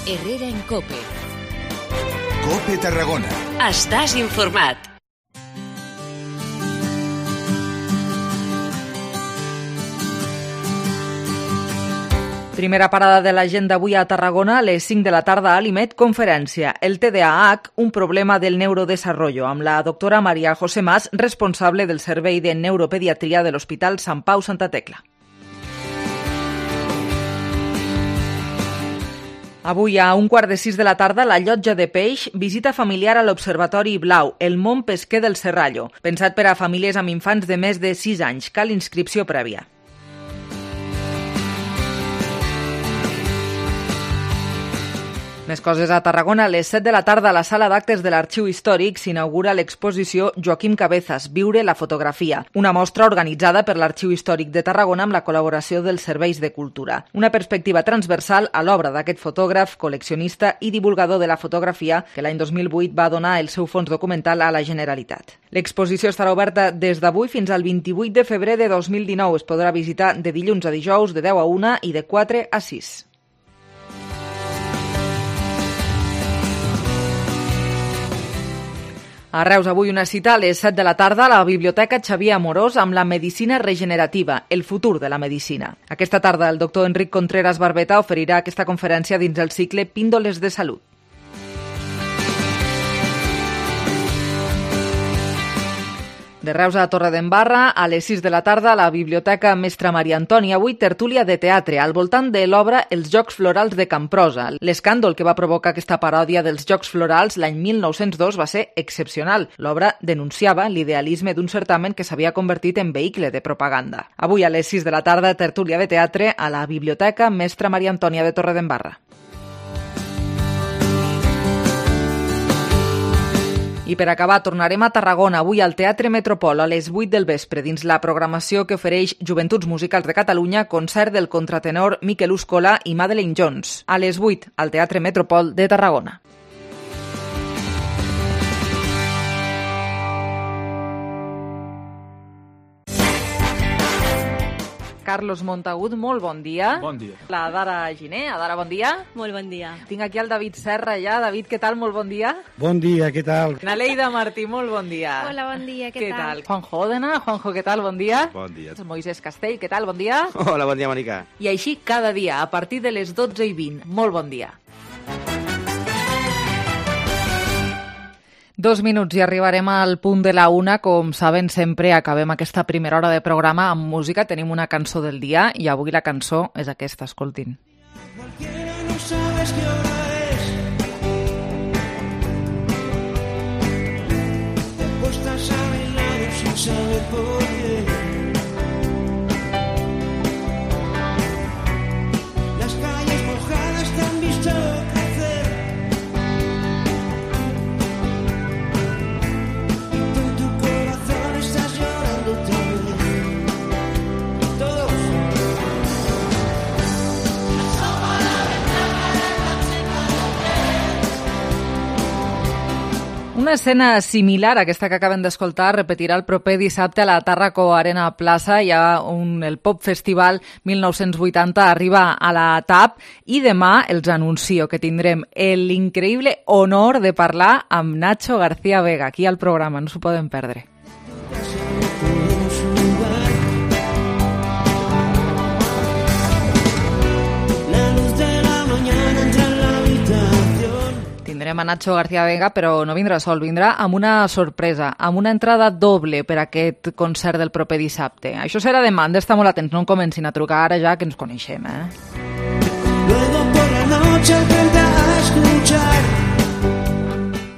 Herrera en Cope. Cope Tarragona. Estàs informat. Primera parada de l'agenda avui a Tarragona, a les cinc de la tarda a l'I M E D, conferència El T D A H, un problema del neurodesarrollo, amb la doctora Maria José Mas, responsable del Servei de Neuropediatria de l'Hospital Sant Pau Santa Tecla. Avui a un quart de sis de la tarda, la Llotja de Peix visita familiar a l'Observatori Blau, el món pesquer del Serrallo. Pensat per a famílies amb infants de més de sis anys. Cal inscripció prèvia. Més coses a Tarragona. A les set de la tarda a la sala d'actes de l'Arxiu Històric s'inaugura l'exposició Joaquim Cabezas, Viure la fotografia, una mostra organitzada per l'Arxiu Històric de Tarragona amb la col·laboració dels Serveis de Cultura. Una perspectiva transversal a l'obra d'aquest fotògraf, col·leccionista i divulgador de la fotografia que l'any dos mil vuit va donar el seu fons documental a la Generalitat. L'exposició estarà oberta des d'avui fins al vint-i-vuit de febrer de dos mil dinou. Es podrà visitar de dilluns a dijous de deu a una i de quatre a sis. A Reus, avui una cita a les set de la tarda a la Biblioteca Xavier Amorós amb la medicina regenerativa, el futur de la medicina. Aquesta tarda el doctor Enric Contreras Barbeta oferirà aquesta conferència dins el cicle Píndoles de Salut. De Reus a Torredembarra, a les sis de la tarda a la Biblioteca Mestra Maria Antònia, avui tertúlia de teatre al voltant de l'obra Els Jocs Florals de Camprosa. L'escàndol que va provocar aquesta paròdia dels Jocs Florals l'any mil nou-cents dos va ser excepcional. L'obra denunciava l'idealisme d'un certamen que s'havia convertit en vehicle de propaganda. Avui a les sis de la tarda, tertúlia de teatre a la Biblioteca Mestra Maria Antònia de Torredembarra. I per acabar, tornarem a Tarragona, avui al Teatre Metropol a les vuit del vespre, dins la programació que ofereix Joventuts Musicals de Catalunya, concert del contratenor Miquel Uscola i Madeleine Jones. A les vuit, al Teatre Metropol de Tarragona. Carlos Montagut, molt bon dia. Bon dia. La Dara Giner. Adara, bon dia. Molt bon dia. Tinc aquí el David Serra ja. David, què tal? Molt bon dia. Bon dia, què tal? Naleida Martí, molt bon dia. Hola, bon dia, què, què tal? tal? Juanjo Òdena. Juanjo, què tal? Bon dia. Bon dia. Moisés Castell, què tal? Bon dia. Hola, bon dia, Mònica. I així cada dia, a partir de les dotze i vint. Molt bon dia. Dos minuts i arribarem al punt de la una. Com saben, sempre acabem aquesta primera hora de programa amb música. Tenim una cançó del dia i avui la cançó és aquesta, escoltin. No sabes qué hora es. Te acuestas a mi lado sin saber por qué. Las calles mojadas te han visto crecer. Una escena similar a aquesta que acaben d'escoltar repetirà el proper dissabte a la Tàrraco Arena Plaça. Hi ha un, el Pop Festival mil nou-cents vuitanta arriba a la T A P i demà els anuncio que tindrem l'increïble honor de parlar amb Nacho García Vega aquí al programa, no s'ho poden perdre. Tindrem a Nacho García Vega, però no vindrà sol, vindrà amb una sorpresa, amb una entrada doble per a aquest concert del proper dissabte. Això serà demà, han d'estar molt atents, no en comencin a trucar ara ja que ens coneixem, eh? Luego por la noche aprende a escuchar.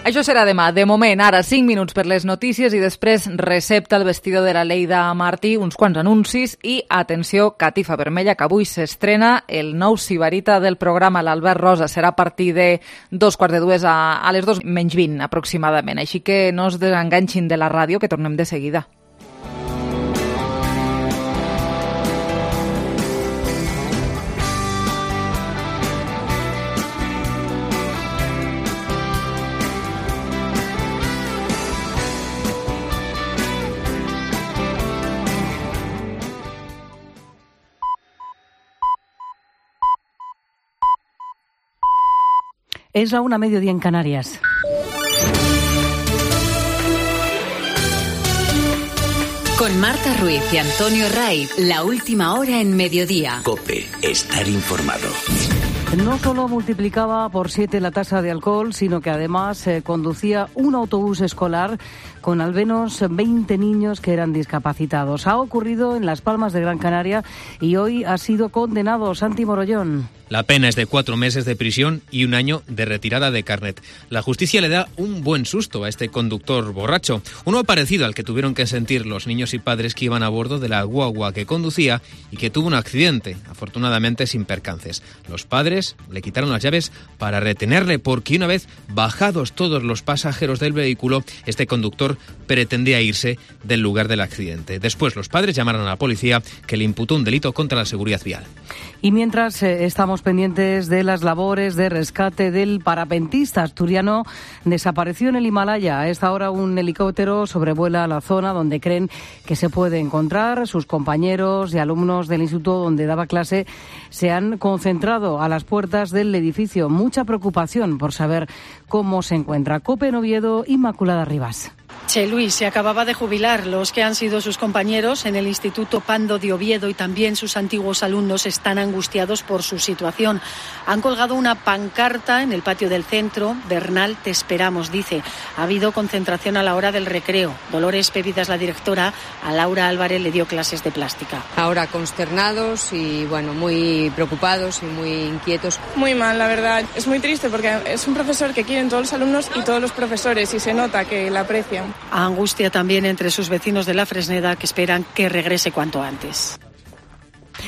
Això serà demà. De moment, ara cinc minuts per les notícies i després recepta el vestido de la Leida Martí, uns quants anuncis i, atenció, catifa vermella, que avui s'estrena el nou sibarita del programa, l'Albert Rosa. Serà a partir de dos quarts de dues a, a les dos menys vint, aproximadament. Així que no es desenganxin de la ràdio, que tornem de seguida. Es la una, mediodía en Canarias. Con Marta Ruiz y Antonio Raiz, la última hora en mediodía. COPE, estar informado. No solo multiplicaba por siete la tasa de alcohol, sino que además eh, conducía un autobús escolar con al menos veinte niños que eran discapacitados. Ha ocurrido en Las Palmas de Gran Canaria y hoy ha sido condenado Santi Morollón. La pena es de cuatro meses de prisión y un año de retirada de carnet. La justicia le da un buen susto a este conductor borracho, uno parecido al que tuvieron que sentir los niños y padres que iban a bordo de la guagua que conducía y que tuvo un accidente, afortunadamente sin percances. Los padres le quitaron las llaves para retenerle porque una vez bajados todos los pasajeros del vehículo, este conductor pretendía irse del lugar del accidente. Después los padres llamaron a la policía, que le imputó un delito contra la seguridad vial. Y mientras eh, estamos pendientes de las labores de rescate del parapentista asturiano desapareció en el Himalaya. A esta hora un helicóptero sobrevuela la zona donde creen que se puede encontrar. Sus compañeros y alumnos del instituto donde daba clase se han concentrado a las puertas del edificio. Mucha preocupación por saber cómo se encuentra. COPE en Oviedo, Inmaculada Rivas. Che Luis se acababa de jubilar. Los que han sido sus compañeros en el Instituto Pando de Oviedo y también sus antiguos alumnos están angustiados por su situación. Han colgado una pancarta en el patio del centro. Bernal, te esperamos, dice. Ha habido concentración a la hora del recreo. Dolores Pevidas, la directora, a Laura Álvarez le dio clases de plástica. Ahora consternados y bueno, muy preocupados y muy inquietos. Muy mal, la verdad. Es muy triste porque es un profesor que quieren todos los alumnos y todos los profesores y se nota que la aprecian. Angustia también entre sus vecinos de la Fresneda, que esperan que regrese cuanto antes.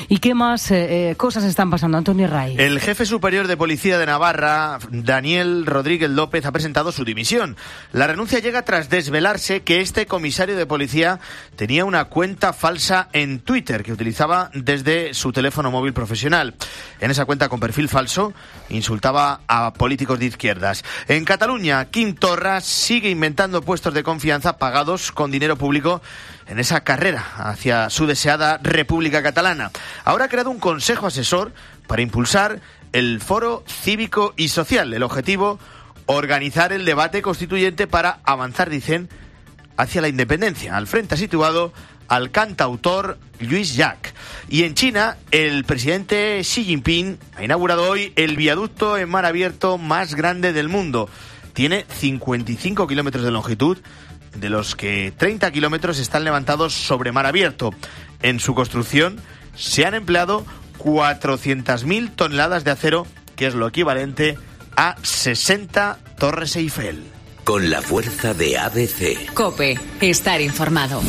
¿Y qué más eh, cosas están pasando, Antonio Ray? El jefe superior de Policía de Navarra, Daniel Rodríguez López, ha presentado su dimisión. La renuncia llega tras desvelarse que este comisario de policía tenía una cuenta falsa en Twitter que utilizaba desde su teléfono móvil profesional. En esa cuenta con perfil falso insultaba a políticos de izquierdas. En Cataluña, Quim Torra sigue inventando puestos de confianza pagados con dinero público en esa carrera hacia su deseada República Catalana. Ahora ha creado un consejo asesor para impulsar el foro cívico y social. El objetivo, organizar el debate constituyente para avanzar, dicen, hacia la independencia. Al frente ha situado al cantautor Lluís Llach. Y en China, el presidente Xi Jinping ha inaugurado hoy el viaducto en mar abierto más grande del mundo. Tiene cincuenta y cinco kilómetros de longitud, de los que treinta kilómetros están levantados sobre mar abierto. En su construcción se han empleado cuatrocientas mil toneladas de acero, que es lo equivalente a sesenta Torres Eiffel. Con la fuerza de A B C. COPE, estar informado.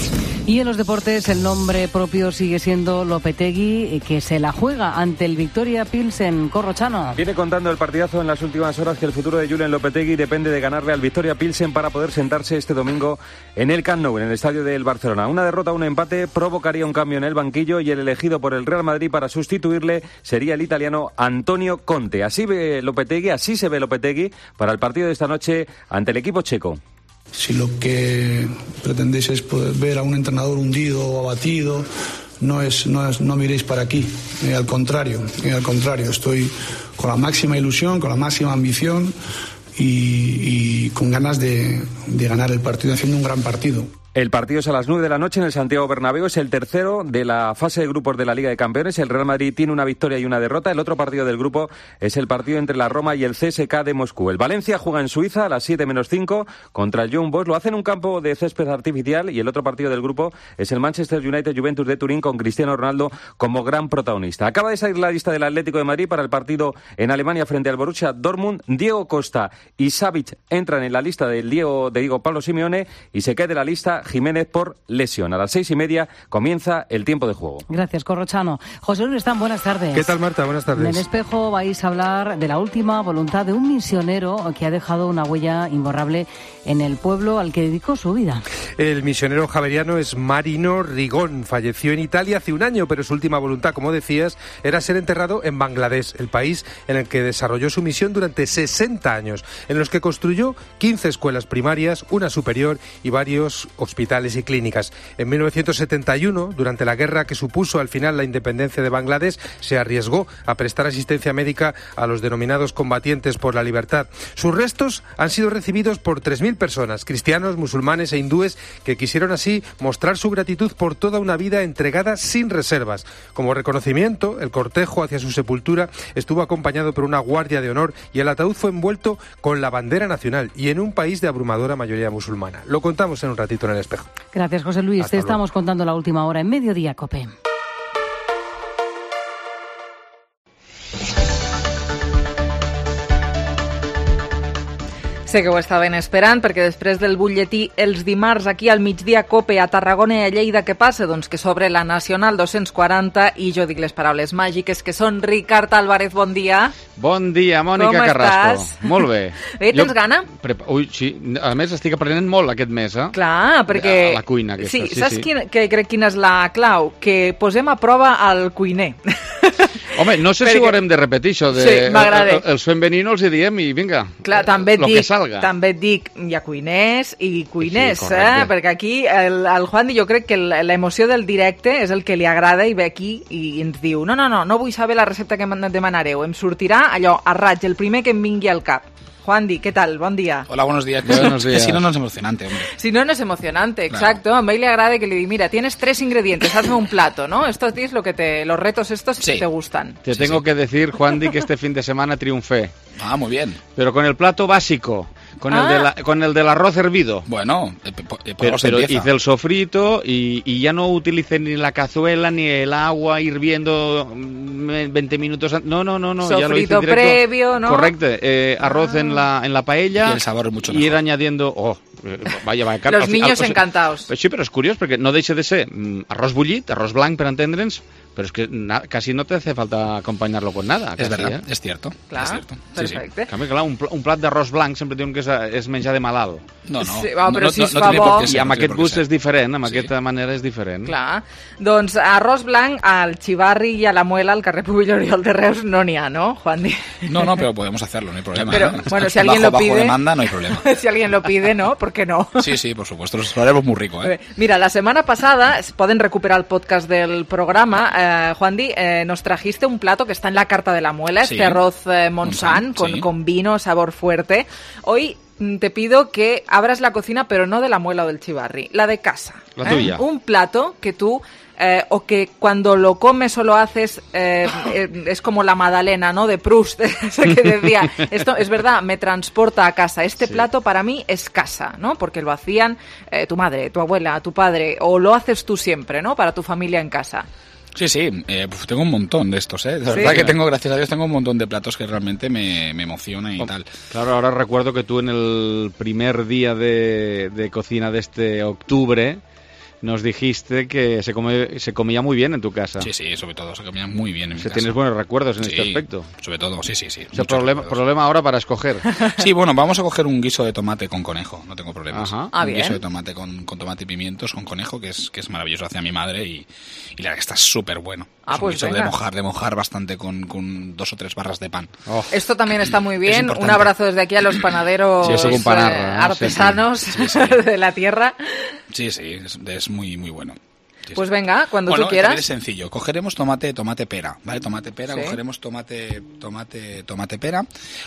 Y en los deportes el nombre propio sigue siendo Lopetegui, que se la juega ante el Victoria Pilsen. Corrochano. Viene contando el partidazo en las últimas horas que el futuro de Julen Lopetegui depende de ganarle al Victoria Pilsen para poder sentarse este domingo en el Camp Nou, en el estadio del Barcelona. Una derrota o un empate provocaría un cambio en el banquillo y el elegido por el Real Madrid para sustituirle sería el italiano Antonio Conte. Así ve Lopetegui, así se ve Lopetegui para el partido de esta noche ante el equipo checo. Si lo que pretendéis es poder ver a un entrenador hundido o abatido, no es, no es, no miréis para aquí. Eh, al contrario, eh, al contrario, estoy con la máxima ilusión, con la máxima ambición y, y con ganas de, de ganar el partido, haciendo un gran partido. El partido es a las nueve de la noche en el Santiago Bernabéu, es el tercero de la fase de grupos de la Liga de Campeones. El Real Madrid tiene una victoria y una derrota. El otro partido del grupo es el partido entre la Roma y el C S K de Moscú. El Valencia juega en Suiza a las siete menos cinco contra el Young Boys. Lo hace en un campo de césped artificial y el otro partido del grupo es el Manchester United Juventus de Turín con Cristiano Ronaldo como gran protagonista. Acaba de salir la lista del Atlético de Madrid para el partido en Alemania frente al Borussia Dortmund. Diego Costa y Savic entran en la lista del Diego, de Diego Pablo Simeone y se cae de la lista Jiménez por lesión. A las seis y media comienza el tiempo de juego. Gracias, Corrochano. José Luis Están, buenas tardes. ¿Qué tal, Marta? Buenas tardes. En el Espejo vais a hablar de la última voluntad de un misionero que ha dejado una huella imborrable en el pueblo al que dedicó su vida. El misionero javeriano es Marino Rigón. Falleció en Italia hace un año, pero su última voluntad, como decías, era ser enterrado en Bangladesh, el país en el que desarrolló su misión durante sesenta años, en los que construyó quince escuelas primarias, una superior y varios hospitales y clínicas. En mil novecientos setenta y uno, durante la guerra que supuso al final la independencia de Bangladesh, se arriesgó a prestar asistencia médica a los denominados combatientes por la libertad. Sus restos han sido recibidos por tres mil personas, cristianos, musulmanes e hindúes, que quisieron así mostrar su gratitud por toda una vida entregada sin reservas. Como reconocimiento, el cortejo hacia su sepultura estuvo acompañado por una guardia de honor y el ataúd fue envuelto con la bandera nacional y en un país de abrumadora mayoría musulmana. Lo contamos en un ratito en el Espejo. Gracias, José Luis. Hasta Te luego. estamos contando la última hora en Mediodía, COPE. Sé que ho estaven esperant, perquè després del butlletí els dimarts aquí al migdia COPE a Tarragona i a Lleida, què passa? Doncs que sobre la Nacional dos-cents quaranta, i jo dic les paraules màgiques que són Ricard Álvarez, bon dia. Bon dia, Mònica Com Carrasco. estàs? Molt bé. Bé, tens Jo- gana? Prepa- Ui, sí. A més, estic aprenent molt aquest mes, eh? Clar, perquè... A la cuina aquesta, Sí, sí, saps sí. Quina, que crec quina és la clau? Que posem a prova al cuiner. Home, no sé Perquè- si ho haurem de repetir, això de... Sí, m'agrada. el- Els fem venir no els hi diem i vinga. Clar, també et, lo que dic, salga. també et dic, hi ha cuiners i cuiners, Sí, eh? correcte. Perquè aquí el, el Juan, jo crec que el- l'emoció del directe és el que li agrada i ve aquí i ens diu no, no, no, no vull saber la recepta que em demanareu, em sortirà allò, a raig, el primer que em vingui al cap. Juan Di, ¿qué tal? Bon dia. Hola, buenos días. Buenos Que días. si no, no es emocionante, hombre. Si no, no es emocionante, Claro. exacto. A mí le agrada que le diga, mira, tienes tres ingredientes, hazme un plato, ¿no? Esto es lo que te, los retos estos que Sí. te gustan. Te tengo que decir, Juan Di, que este fin de semana triunfé. Ah, muy bien. Pero con el plato básico, con, Ah. el, de la- con el del arroz hervido. Bueno, eh, po- eh, por Pero, algo se pero empieza. hice el sofrito y, y ya no utilicé ni la cazuela ni el agua hirviendo mm, veinte minutos antes. No, no, no, no. ya lo hice Sofrito directo. previo, ¿no? Correcto. eh, arroz en la en la paella. Y el sabor es mucho y ir mejor. añadiendo. Oh, eh, vaya, vaya. Los al fi- niños al- o sea, encantados. Sí, però és curiós perquè no deixa de ser mm, arroz bullit, arroz blanc per entendre'ns, però és que na, casi no te hace falta acompañarlo con nada. Es casi, verdad, eh? es cierto. Clar, es cierto. perfecte. En canvi, clar, un, pl un plat d'arròs blanc sempre diuen que és, és menjar de malalt. No, no. Sí, va, però no, si no, es no fa tiene por bo- qué ser, I amb no tiene aquest por qué gust ser. és diferent, amb Sí. aquesta manera és diferent. Clar. Doncs arròs blanc al Xivarri i a la Muela, al carrer Puig Oriol de Reus, no n'hi ha, no, Juan Di? No, no, pero podemos hacerlo, no hay problema. Pero, ¿eh? bueno, si alguien bajo, lo pide... Bajo demanda no hay problema. si alguien lo pide, ¿no? ¿Por qué no? Sí, sí, por supuesto. Lo haremos muy rico, ¿eh? Mira, la semana pasada, pueden recuperar el podcast del programa, eh, Juan Di, eh, nos trajiste un plato que está en la carta de la Muela, Sí. este arroz eh, Montsant, Montsant, con, sí. con vino, sabor fuerte. Hoy mm, te pido que abras la cocina, pero no de la Muela o del Xivarri, la de casa. La tuya. Un plato que tú... Eh, o que cuando lo comes o lo haces eh, eh, es como la magdalena, ¿no? De Proust, ese que decía, esto es verdad, me transporta a casa. Este Sí. plato para mí es casa, ¿no? Porque lo hacían eh, tu madre, tu abuela, tu padre, o lo haces tú siempre, ¿no? Para tu familia en casa. Sí, sí, eh, pues tengo un montón de estos, ¿eh? De Sí. verdad que tengo, gracias a Dios, tengo un montón de platos que realmente me, me emocionan y Oh, tal. Claro, ahora recuerdo que tú en el primer día de, de cocina de este octubre nos dijiste que se, come, se comía muy bien en tu casa. Sí, sí, sobre todo, se comía muy bien en mi Si casa. tienes buenos recuerdos en Sí, este aspecto. sobre todo, sí, sí, sí. O sea, muchos problema, recuerdos. problema ahora para escoger. Sí, bueno, vamos a coger un guiso de tomate con conejo, no tengo problemas. Ajá. Ah, un bien. guiso de tomate con, con tomate y pimientos, con conejo, que es, que es maravilloso, hacia mi madre y, y la verdad que está súper bueno. Ah, es un pues guiso de venga. mojar, de mojar bastante con, con dos o tres barras de pan. Oh, Esto también está muy bien. Un importante. abrazo desde aquí a los panaderos Sí, eso con panarra, eh, ¿no? artesanos Sí, sí. Sí, sí. de la tierra. Sí, sí, es, es muy, muy bueno. Sí, Pues sí. venga, cuando Bueno, tú quieras. también es sencillo. Cogeremos tomate, tomate pera, ¿vale? Tomate pera, Sí. cogeremos tomate, tomate, tomate pera,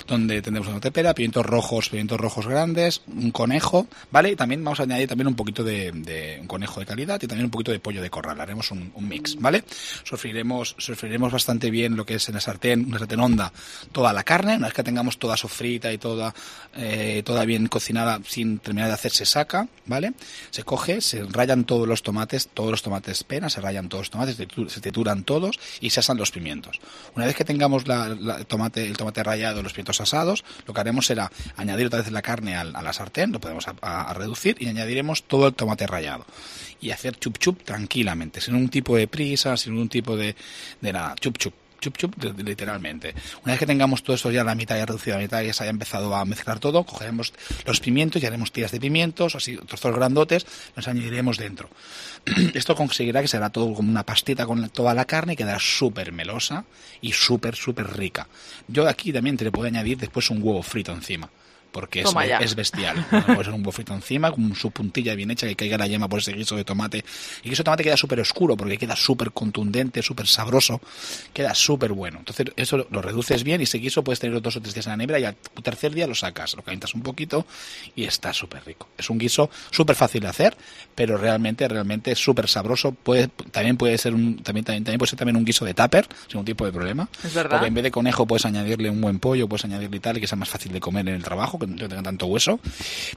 donde tendremos tomate pera, pimientos rojos, pimientos rojos grandes, un conejo, ¿vale? Y también vamos a añadir también un poquito de, de un conejo de calidad y también un poquito de pollo de corral. Haremos un, un mix, ¿vale? Sofriremos, sofriremos bastante bien lo que es en la sartén, una sartén honda, toda la carne. Una vez que tengamos toda sofrita y toda, eh, toda bien cocinada, sin terminar de hacer, se saca, ¿vale? Se coge, se rayan todos los tomates, todos los tomates pera, se rayan todos los tomates, se tritu- se trituran todos y se asan los pimientos. Una vez que tengamos la, la- el, tomate, el tomate rallado, los pimientos asados, lo que haremos será añadir otra vez la carne al- a, la sartén, lo podemos a, a- a reducir y añadiremos todo el tomate rallado. Y hacer chup chup tranquilamente, sin un tipo de prisa, sin un tipo de, de nada, chup chup. Chup chup, de- literalmente. Una vez que tengamos todo esto ya a la mitad, ya reducido a la mitad, ya se haya empezado a mezclar todo, cogeremos los pimientos y haremos tiras de pimientos, así trozos grandotes, los añadiremos dentro. Esto conseguirá que será todo como una pastita con la- toda la carne y quedará súper melosa y súper, súper rica. Yo aquí también te le puedo añadir después un huevo frito encima. Porque es, Toma ya. es bestial. Puede ser un huevo frito encima, con su puntilla bien hecha, que caiga la yema por ese guiso de tomate. Y el guiso de tomate queda súper oscuro, porque queda súper contundente, súper sabroso. Queda súper bueno. Entonces, eso lo, lo reduces bien y ese guiso puedes tenerlo dos o tres días en la nevera y al tercer día lo sacas, lo calientas un poquito y está súper rico. Es un guiso súper fácil de hacer, pero realmente, realmente es súper sabroso. Puede, también puede ser un, también, también, también puede ser también un guiso de tupper, sin ningún tipo de problema. Es verdad. Porque en vez de conejo puedes añadirle un buen pollo, puedes añadirle tal, y que sea más fácil de comer en el trabajo, que no tenga tanto hueso.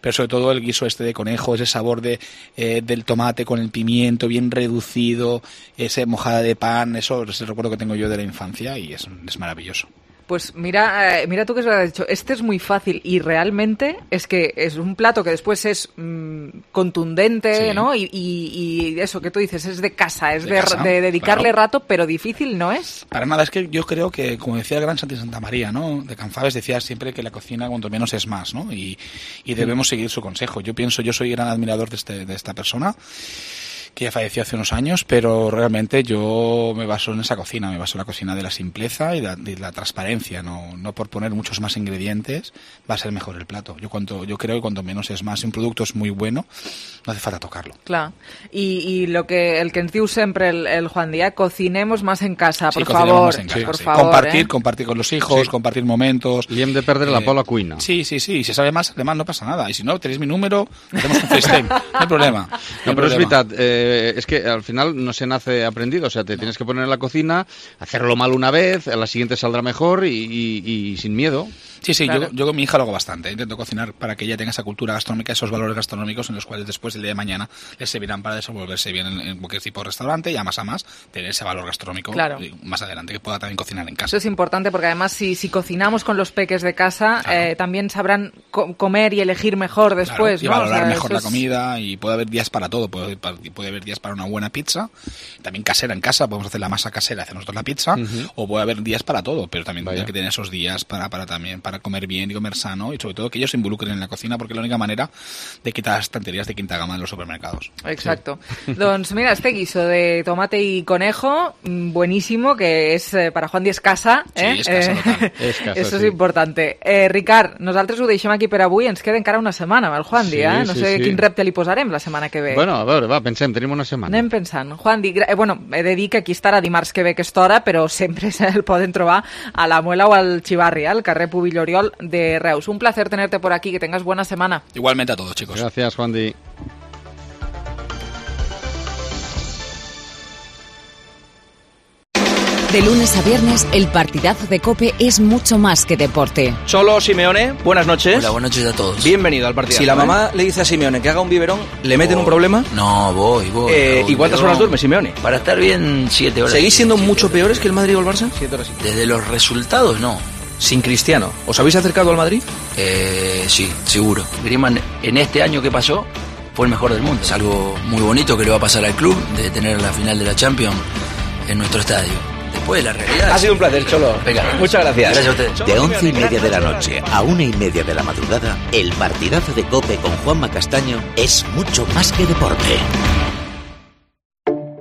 Pero sobre todo el guiso este de conejo, ese sabor de eh, del tomate con el pimiento bien reducido, ese mojada de pan, eso es el recuerdo que tengo yo de la infancia y es, es maravilloso. Pues mira, eh, mira tú que has dicho, este es muy fácil y realmente es que es un plato que después es mmm, contundente, sí. ¿no? Y, y, y eso que tú dices, es de casa, es de, de, casa, de dedicarle claro. rato, pero difícil no es. Para nada, es que yo creo que, como decía el gran Santi Santa María, ¿no? De Canfabes decía siempre que la cocina cuanto menos es más, ¿no? Y, y debemos mm. seguir su consejo. Yo pienso, yo soy gran admirador de, este, de esta persona, que ya falleció hace unos años, pero realmente yo me baso en esa cocina, me baso en la cocina de la simpleza y de la, de la transparencia, no, no por poner muchos más ingredientes va a ser mejor el plato. Yo cuanto, yo creo que cuanto menos es más. Si un producto es muy bueno, no hace falta tocarlo. Clar. I, i lo que, el que ens diu sempre el, el Juan Díaz, cocinemos más en casa, sí, por favor. En casa, sí. por sí. favor compartir, eh? compartir con los hijos, sí. compartir momentos. Y hem de perdre eh, la por la cuina. Sí, sí, sí. Si sabe más, además no pasa nada. Y si no, tenéis mi número, hacemos un FaceTime. No hay problema. No, no hay pero problema. es verdad, eh, es que al final no se nace aprendido, o sea, te no. tienes que poner en la cocina, hacerlo mal una vez, a la siguiente saldrá mejor y, y, y sin miedo. Sí, sí, claro. yo, yo con mi hija lo hago bastante, intento cocinar para que ella tenga esa cultura gastronómica, esos valores gastronómicos en los cuales después el día de mañana les servirán para desenvolverse bien en, en cualquier tipo de restaurante y a más a más tener ese valor gastronómico claro. más adelante, que pueda también cocinar en casa. Eso es importante porque además si, si cocinamos con los peques de casa, claro. eh, también sabrán co comer y elegir mejor después. Claro, y ¿no? valorar o sea, mejor la es... comida y puede haber días para todo, puede, puede haber días para una buena pizza, también casera en casa, podemos hacer la masa casera, hacer nosotros la pizza, uh-huh. o puede haber días para todo, pero también hay que tener esos días para, para también para comer bien y comer sano y sobre todo que ellos se involucren en la cocina porque es la única manera de quitar las estanterías de quinta gama en los supermercados. Exacto. Sí. Doncs mira, este guiso de tomate y conejo, buenísimo, que és eh, para Juan Díaz casa. Eh? Sí, és casa, eh, és casa, Eso sí. és importante. Eh, Ricard, nosaltres ho deixem aquí per avui, ens queda encara una setmana amb el Juan Díaz, eh? No sí, sé sí. quin repte li posarem la setmana que ve. Bueno, a veure, va, pensem, tenim una setmana. Anem pensant. Juan Díaz, eh, bueno, he de dir que aquí estarà dimarts que ve aquesta hora, però sempre se'l poden trobar a la Muela o al Xivarri, al carrer Pubill Oriol de Reus. Un placer tenerte por aquí, que tengas buena semana. Igualmente a todos, chicos. Gracias, Juan Di. De lunes a viernes, el partidazo de COPE es mucho más que deporte. Solo Simeone, buenas noches. Hola, buenas noches a todos. Bienvenido al partidazo. Si la mamá le dice a Simeone que haga un biberón, ¿le meten un problema? No, voy, voy. Eh, ¿Y cuántas horas duerme Simeone? Para estar bien, siete horas. ¿Seguís siendo mucho peores que el Madrid o el Barça? Siete horas. Desde los resultados, no. Sin Cristiano, ¿os habéis acercado al Madrid? Eh, sí, seguro. Griezmann, en este año que pasó, fue el mejor del mundo. Es algo muy bonito que le va a pasar al club, de tener la final de la Champions en nuestro estadio. Después, la realidad... Ha sido un placer, Cholo. Venga, muchas gracias. Gracias a ustedes. De once y media de la noche a una y media de la madrugada, el partidazo de COPE con Juanma Castaño es mucho más que deporte.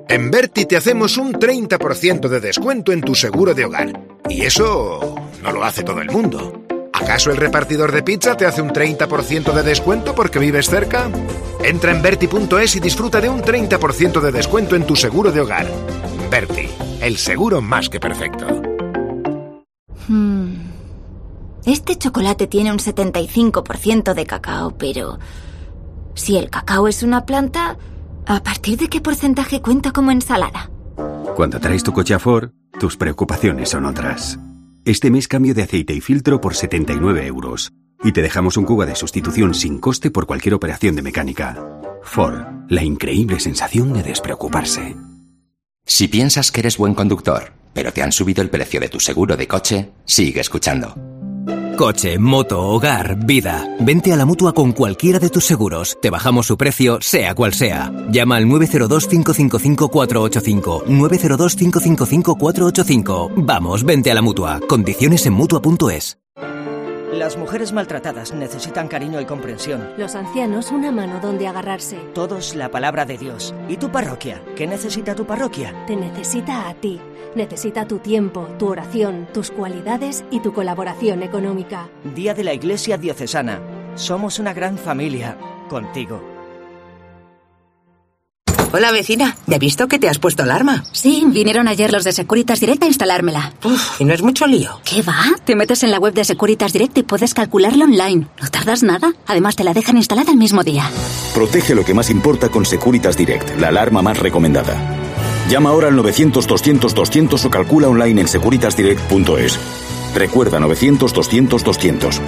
En Berti te hacemos un treinta por ciento de descuento en tu seguro de hogar. Y eso no lo hace todo el mundo. ¿Acaso el repartidor de pizza te hace un treinta por ciento de descuento porque vives cerca? Entra en Berti punto es y disfruta de un treinta por ciento de descuento en tu seguro de hogar. Berti, el seguro más que perfecto. Hmm. Este chocolate tiene un setenta y cinco por ciento de cacao, pero... si el cacao es una planta... ¿a partir de qué porcentaje cuenta como ensalada? Cuando traes tu coche a Ford, tus preocupaciones son otras. Este mes cambio de aceite y filtro por setenta y nueve euros. Y te dejamos un Kuga de sustitución sin coste por cualquier operación de mecánica. Ford, la increíble sensación de despreocuparse. Si piensas que eres buen conductor, pero te han subido el precio de tu seguro de coche, sigue escuchando. Coche, moto, hogar, vida. Vente a la Mutua con cualquiera de tus seguros. Te bajamos su precio, sea cual sea. Llama al nueve cero dos, cinco cinco cinco, cuatro ocho cinco. nueve cero dos, cinco cinco cinco, cuatro ocho cinco. Vamos, vente a la Mutua. Condiciones en Mutua punto es. Las mujeres maltratadas necesitan cariño y comprensión. Los ancianos una mano donde agarrarse. Todos la palabra de Dios. ¿Y tu parroquia? ¿Qué necesita tu parroquia? Te necesita a ti. Necesita tu tiempo, tu oración, tus cualidades y tu colaboración económica. Día de la Iglesia Diocesana. Somos una gran familia. Contigo. Hola, vecina. ¿Ya he visto que te has puesto alarma? Sí, vinieron ayer los de Securitas Direct a instalármela. Uf, ¿y no es mucho lío? ¿Qué va? Te metes en la web de Securitas Direct y puedes calcularlo online. No tardas nada. Además, te la dejan instalada el mismo día. Protege lo que más importa con Securitas Direct, la alarma más recomendada. Llama ahora al novecientos, doscientos, doscientos o calcula online en securitas direct punto es. Recuerda novecientos, doscientos, doscientos.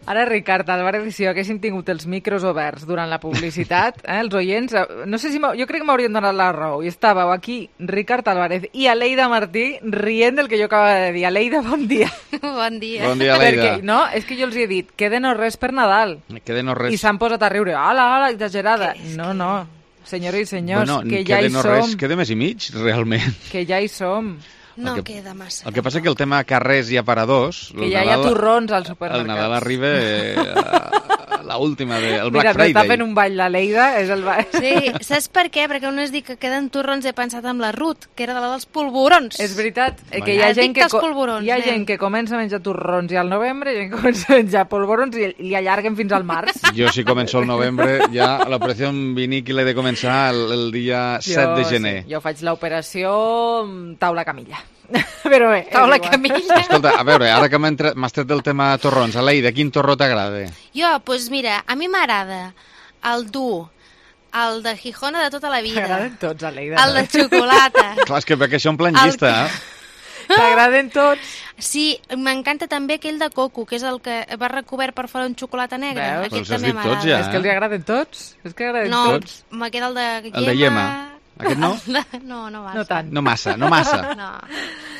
Ara, Ricard Álvarez, si haguéssim tingut els micros oberts durant la publicitat, eh, els oients, no sé si jo crec que m'haurien donat la raó, i estàveu aquí, Ricard Álvarez i Aleida Martí, rient del que jo acaba de dir. Aleida, bon dia. Bon dia. Bon dia, Aleida. Perquè, no, és que jo els he dit, que de no res per Nadal. Que de no res. I s'han posat a riure, ala, ala, exagerada. No, no, senyores i senyors, bueno, que ja hi no som. Res, que de mes i mig, realment. Que ja hi som. No el que, queda massa. El que passa que el tema carrers hi ha per a dos. Que ja hi ha turrons als supermercats. El Nadal arriba eh, a, a l'última, de, el Black Mira, Friday. Mira, està fent un ball la Leida, és el ball. Sí, saps per què? Perquè on es diu que queden turrons he pensat en la Ruth, que era de la dels polvorons. És veritat, eh, que Bueno. hi ha, gent que, polvorons, hi ha nen. gent que comença a menjar turrons i al novembre, i gent que comença a menjar polvorons i li allarguen fins al març. Jo, si començo el novembre, ja l'operació vinícola he de començar el, el dia Jo, set de gener. Sí, jo faig l'operació taula camilla. Però bé, Taula és igual. camilla. Escolta, a veure, ara que m'has tret del tema torrons, Aleida, quin torró t'agrada? Jo, doncs mira, a mi m'agrada el dur, el de Gijona de tota la vida. T'agraden tots, Aleida. El de xocolata. Clar, és que perquè això en plan El llista, que- eh? T'agraden tots? Sí, m'encanta també aquell de coco, que és el que va recobert per fora un xocolata negre. Veus? Aquest Però els has també dit tots, m'agrada. ja. És que els agraden tots? És que agraden No, tots? me queda el de Yema. El de Yema. Aquest no? No, no massa. No tant. No massa, no massa. No.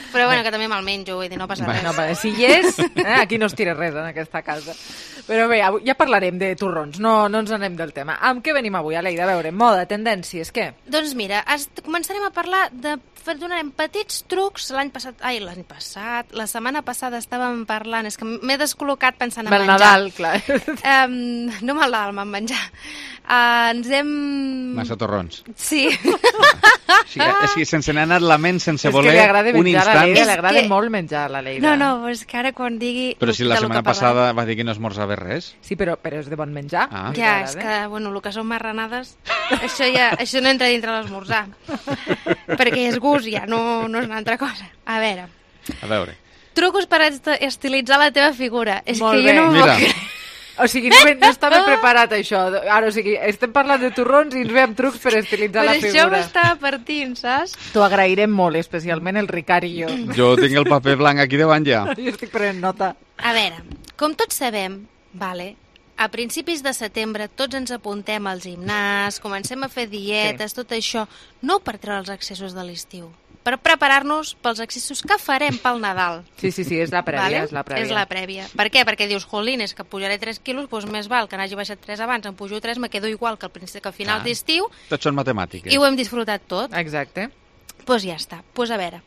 Però bueno, que també me'l menjo, vull dir, no passa res. No, perquè si hi és, eh, aquí no es tira res en aquesta casa. Però bé, avui ja parlarem de torrons, no, no ens anem del tema. Amb què venim avui, Aleida? A veure, moda, tendències, què? Doncs mira, es, començarem a parlar de... Donarem petits trucs l'any passat... Ai, l'any passat... La setmana passada estàvem parlant... És que m'he descol·locat pensant en Del menjar. Nadal, clar. Um, no me'l Nadal, me'n menjar. Uh, ens hem... Massa torrons. Sí. Sí, és que sense n'ha anat la ment, sense És voler, que li agrada un menjar a instant... l'Aleida, li agrada que- molt menjar a l'Aleida. No, no, és que ara quan digui... Però si la de lo setmana que parlarem- passada va dir que no esmorzava res. Sí, però, però és de bon menjar. Ah. Ja, és que, bueno, el que són marranades, això ja això no entra dintre l'esmorzar. Perquè és gust, ja, no, no és una altra cosa. A veure, A veure. trucos per est- estilitzar la teva figura. És Molt que bé. jo no m'ho Mira. crec. O sigui, no, no estava preparat això. Ara, o sigui, estem parlant de torrons i ens ve amb trucs per estilitzar Per la això figura. m'estava partint, saps? T'ho agrairem molt, especialment el Ricard i jo. Jo tinc el paper blanc aquí davant ja. Jo estic prenent nota. A veure, com tots sabem, vale, a principis de setembre tots ens apuntem al gimnàs, comencem a fer dietes, sí. tot això, no per treure els excessos de l'estiu, per preparar-nos pels excessos que farem pel Nadal. Sí, sí, sí, és la prèvia, Vale? és la prèvia. És la prèvia. Per què? Perquè dius, jolín, és que pujaré tres quilos, doncs més val que n'hagi baixat tres abans, em pujo tres, me quedo igual que al, principi, que al final Clar. d'estiu, Tots són matemàtiques. i ho hem disfrutat tot. Exacte. Doncs pues ja està. Doncs pues a veure,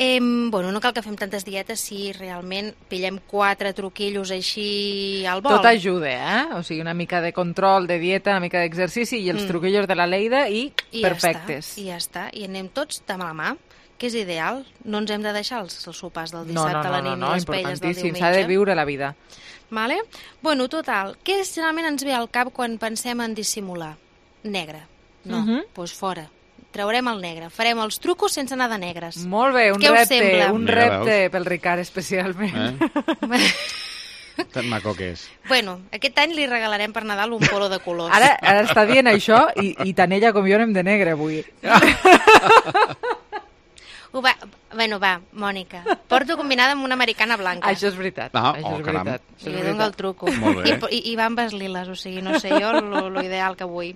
eh, bueno, no cal que fem tantes dietes si realment pillem quatre truquillos així al vol. Tot ajuda, eh? O sigui, una mica de control, de dieta, una mica d'exercici i els Mm. truquillos de la Leida i, I perfectes. Ja està, I ja està. I anem tots de mà a mà, que és ideal. No ens hem de deixar els, els sopars del No, dissabte no, a la no, nit no, no, ni les paelles del importantíssim. diumenge. S'ha de viure la vida. Vale? Bueno, total, què generalment ens ve al cap quan pensem en dissimular? Negre. No, doncs Mhm. pues fora. Traurem el negre. Farem els trucos sense anar de negres. Molt bé, un Què us repte, sembla? un Mira, repte pel Ricard especialment. Eh? Tan maco que és. Bueno, aquest any li regalarem per Nadal un polo de colors. Ara, ara està dient això i, i tant ella com jo anem de negre avui. Ho va, bueno, va, Mònica. Porto combinada amb una americana blanca. Això és veritat. Ah, això oh, és caram. veritat. Això I és li veritat. dono el truco. Molt bé. I, i, I va amb les liles, o sigui, no sé jo lo, lo ideal que vull.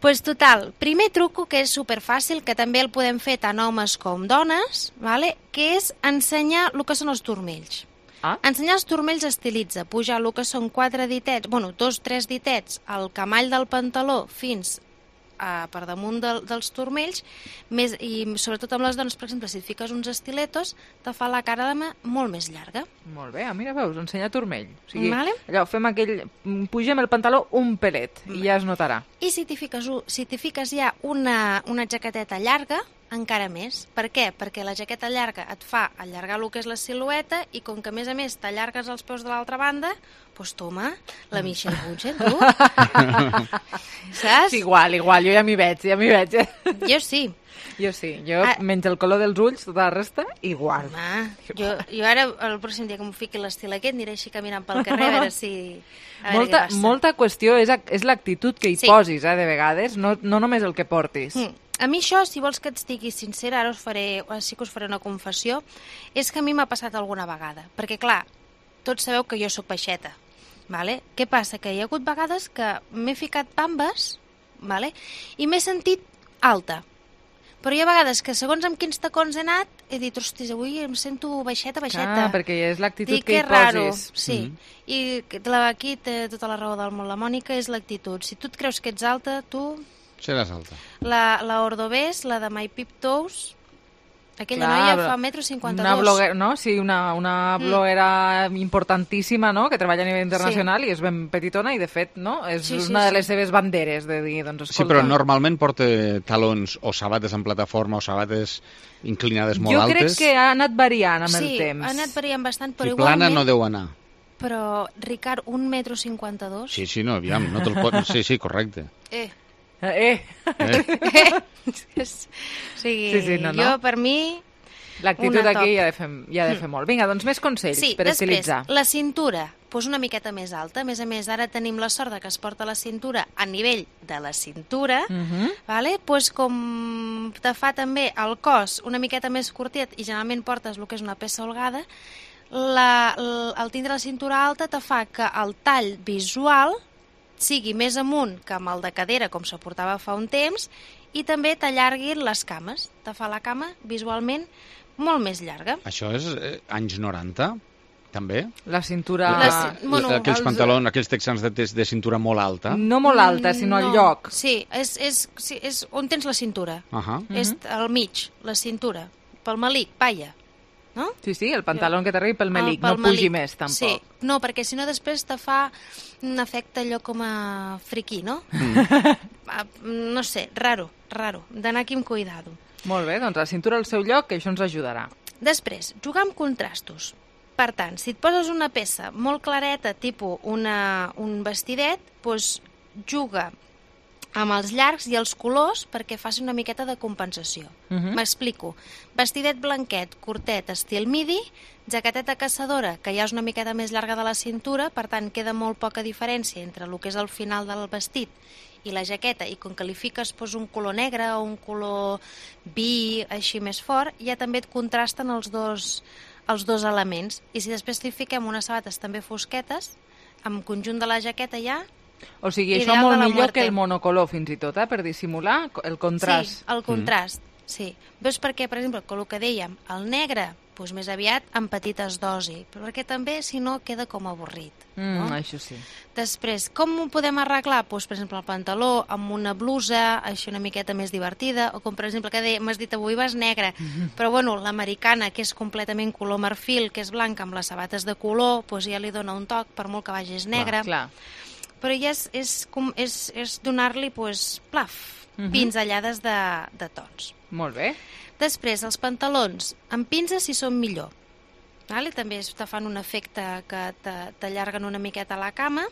Pues total, primer truco que és superfàcil, que també el podem fer tant homes com dones, vale? Que és ensenyar el que són els turmells. Ah? Ensenyar els turmells estilitza, pujar el que són quatre ditets, bueno, dos, tres ditets, al camall del pantaló fins a, per damunt de, dels turmells, més, i sobretot amb les dones, per exemple, si et fiques uns estiletos, te fa la cara de mà molt més llarga. Molt bé, ah, mira, veus, ensenyar turmell. O sigui, Vale. allò, fem aquell... Pugem el pantaló un pelet i ja es notarà. I si t'hi fiques, u- si t'hi fiques ja una, una jaqueteta llarga, encara més. Per què? Perquè la jaqueta llarga et fa allargar el que és la silueta i com que a més a més t'allargues els peus de l'altra banda, doncs toma, la Michelle Bunchen, tu. Saps? Sí, igual, igual, jo ja m'hi veig, ja m'hi veig. Jo sí. Jo sí, jo Ah. menys el color dels ulls, tota la resta, igual. Home, jo, jo ara, el pròxim dia que m'ho fiqui l'estil aquest, aniré així caminant pel carrer a veure si... A veure Molta, què passa. molta qüestió és, a- és l'actitud que hi Sí. posis, eh, de vegades, no, no només el que portis. Mm. A mi això, si vols que et estigui sincera, ara us faré, sí que us faré una confessió, és que a mi m'ha passat alguna vegada. Perquè, clar, tots sabeu que jo sóc baixeta. Vale? Què passa? Que hi ha hagut vegades que m'he ficat bambes, vale? I m'he sentit alta. Però hi ha vegades que segons amb quins tacons he anat he dit, hostis, avui em sento baixeta, baixeta. Ah, perquè és l'actitud Dic, que hi és raro. posis. Sí, mm-hmm. I la, aquí té tota la raó del món. La Mònica és l'actitud. Si tu et creus que ets alta, tu... Seràs alta. La, la Ordovés, la de My Pip Toes, aquella Clar, noia fa metro cinquanta-dos. Una bloguera, no? Sí, una, una bloguera mm. importantíssima, no?, que treballa a nivell internacional sí. I és ben petitona i, de fet, no?, és sí, sí, una de les sí. seves banderes de dir, doncs, escolta... Sí, però normalment porta talons o sabates en plataforma o sabates inclinades molt jo altes. Jo crec que ha anat variant amb sí, el temps. Sí, ha anat variant bastant, però si igualment... plana no deu anar. Però, Ricard, un metro cinquanta-dos... Sí, sí, no, aviam, no te'l pot... Sí, sí, correcte. Eh... Eh! eh. eh. O sigui, sí, sí, no, no. jo, per mi... L'actitud aquí hi ha de fer, hi ha de fer molt. Vinga, doncs més consells sí, per estilitzar. Sí, després, la cintura, doncs una miqueta més alta. A més a més, ara tenim la sort que es porta la cintura a nivell de la cintura, uh-huh. vale? Pues com te fa també el cos una miqueta més curtet i generalment portes el que és una peça holgada, la, el, el tindre la cintura alta te fa que el tall visual sigui més amunt que amb el de cadera, com se portava fa un temps, i també t'allarguin les cames. Te fa la cama visualment molt més llarga. Això és eh, anys noranta, també? La cintura... La, la, bueno, aquells els... pantalons, aquells texans de, de cintura molt alta. No molt alta, sinó no. al lloc. Sí, és, és, sí, és on tens la cintura. Uh -huh. És al mig, la cintura. Pel melic, palla. No? Sí, sí, el pantaló jo. Que t'arribi pel melic, pel no pugi melic. Més, tampoc. Sí, no, perquè si no després te fa un efecte allò com a friquí, no? Mm. No sé, raro, raro, d'anar aquí amb cuidado. Molt bé, doncs la cintura al seu lloc, que això ens ajudarà. Després, jugar amb contrastos. Per tant, si et poses una peça molt clareta, tipus una, un vestidet, doncs juga amb els llargs i els colors perquè faci una miqueta de compensació. M'explico. Uh -huh. Vestidet blanquet, curtet, estil midi, jaqueteta caçadora, que ja és una miqueta més llarga de la cintura, per tant queda molt poca diferència entre el que és el final del vestit i la jaqueta, i com que li fiques pues, un color negre o un color vi així més fort, ja també et contrasten els dos, els dos elements. I si després li fiquem unes sabates també fosquetes, amb conjunt de la jaqueta ja... O sigui, això molt millor muerte. Que el monocolor, fins i tot, eh? Per dissimular el contrast. Sí, el contrast, mm. sí. Veus perquè, per exemple, el que dèiem, el negre, doncs més aviat en petites dosis, perquè també, si no, queda com avorrit. Mm, no? Això sí. Després, com ho podem arreglar? Doncs, per exemple, el pantaló amb una blusa, així una miqueta més divertida, o com, per exemple, que m'has dit avui vas negre, mm-hmm. però, bueno, l'americana, que és completament color marfil, que és blanca amb les sabates de color, doncs ja li dona un toc, per molt que vagis negre. Clar, clar. Però ja és, és, és, és donar-li, pues, plaf, uh-huh. pinzellades de, de tons. Molt bé. Després, els pantalons amb pinces si són millor. Vale? També te fan un efecte que t'allarguen una miqueta a la cama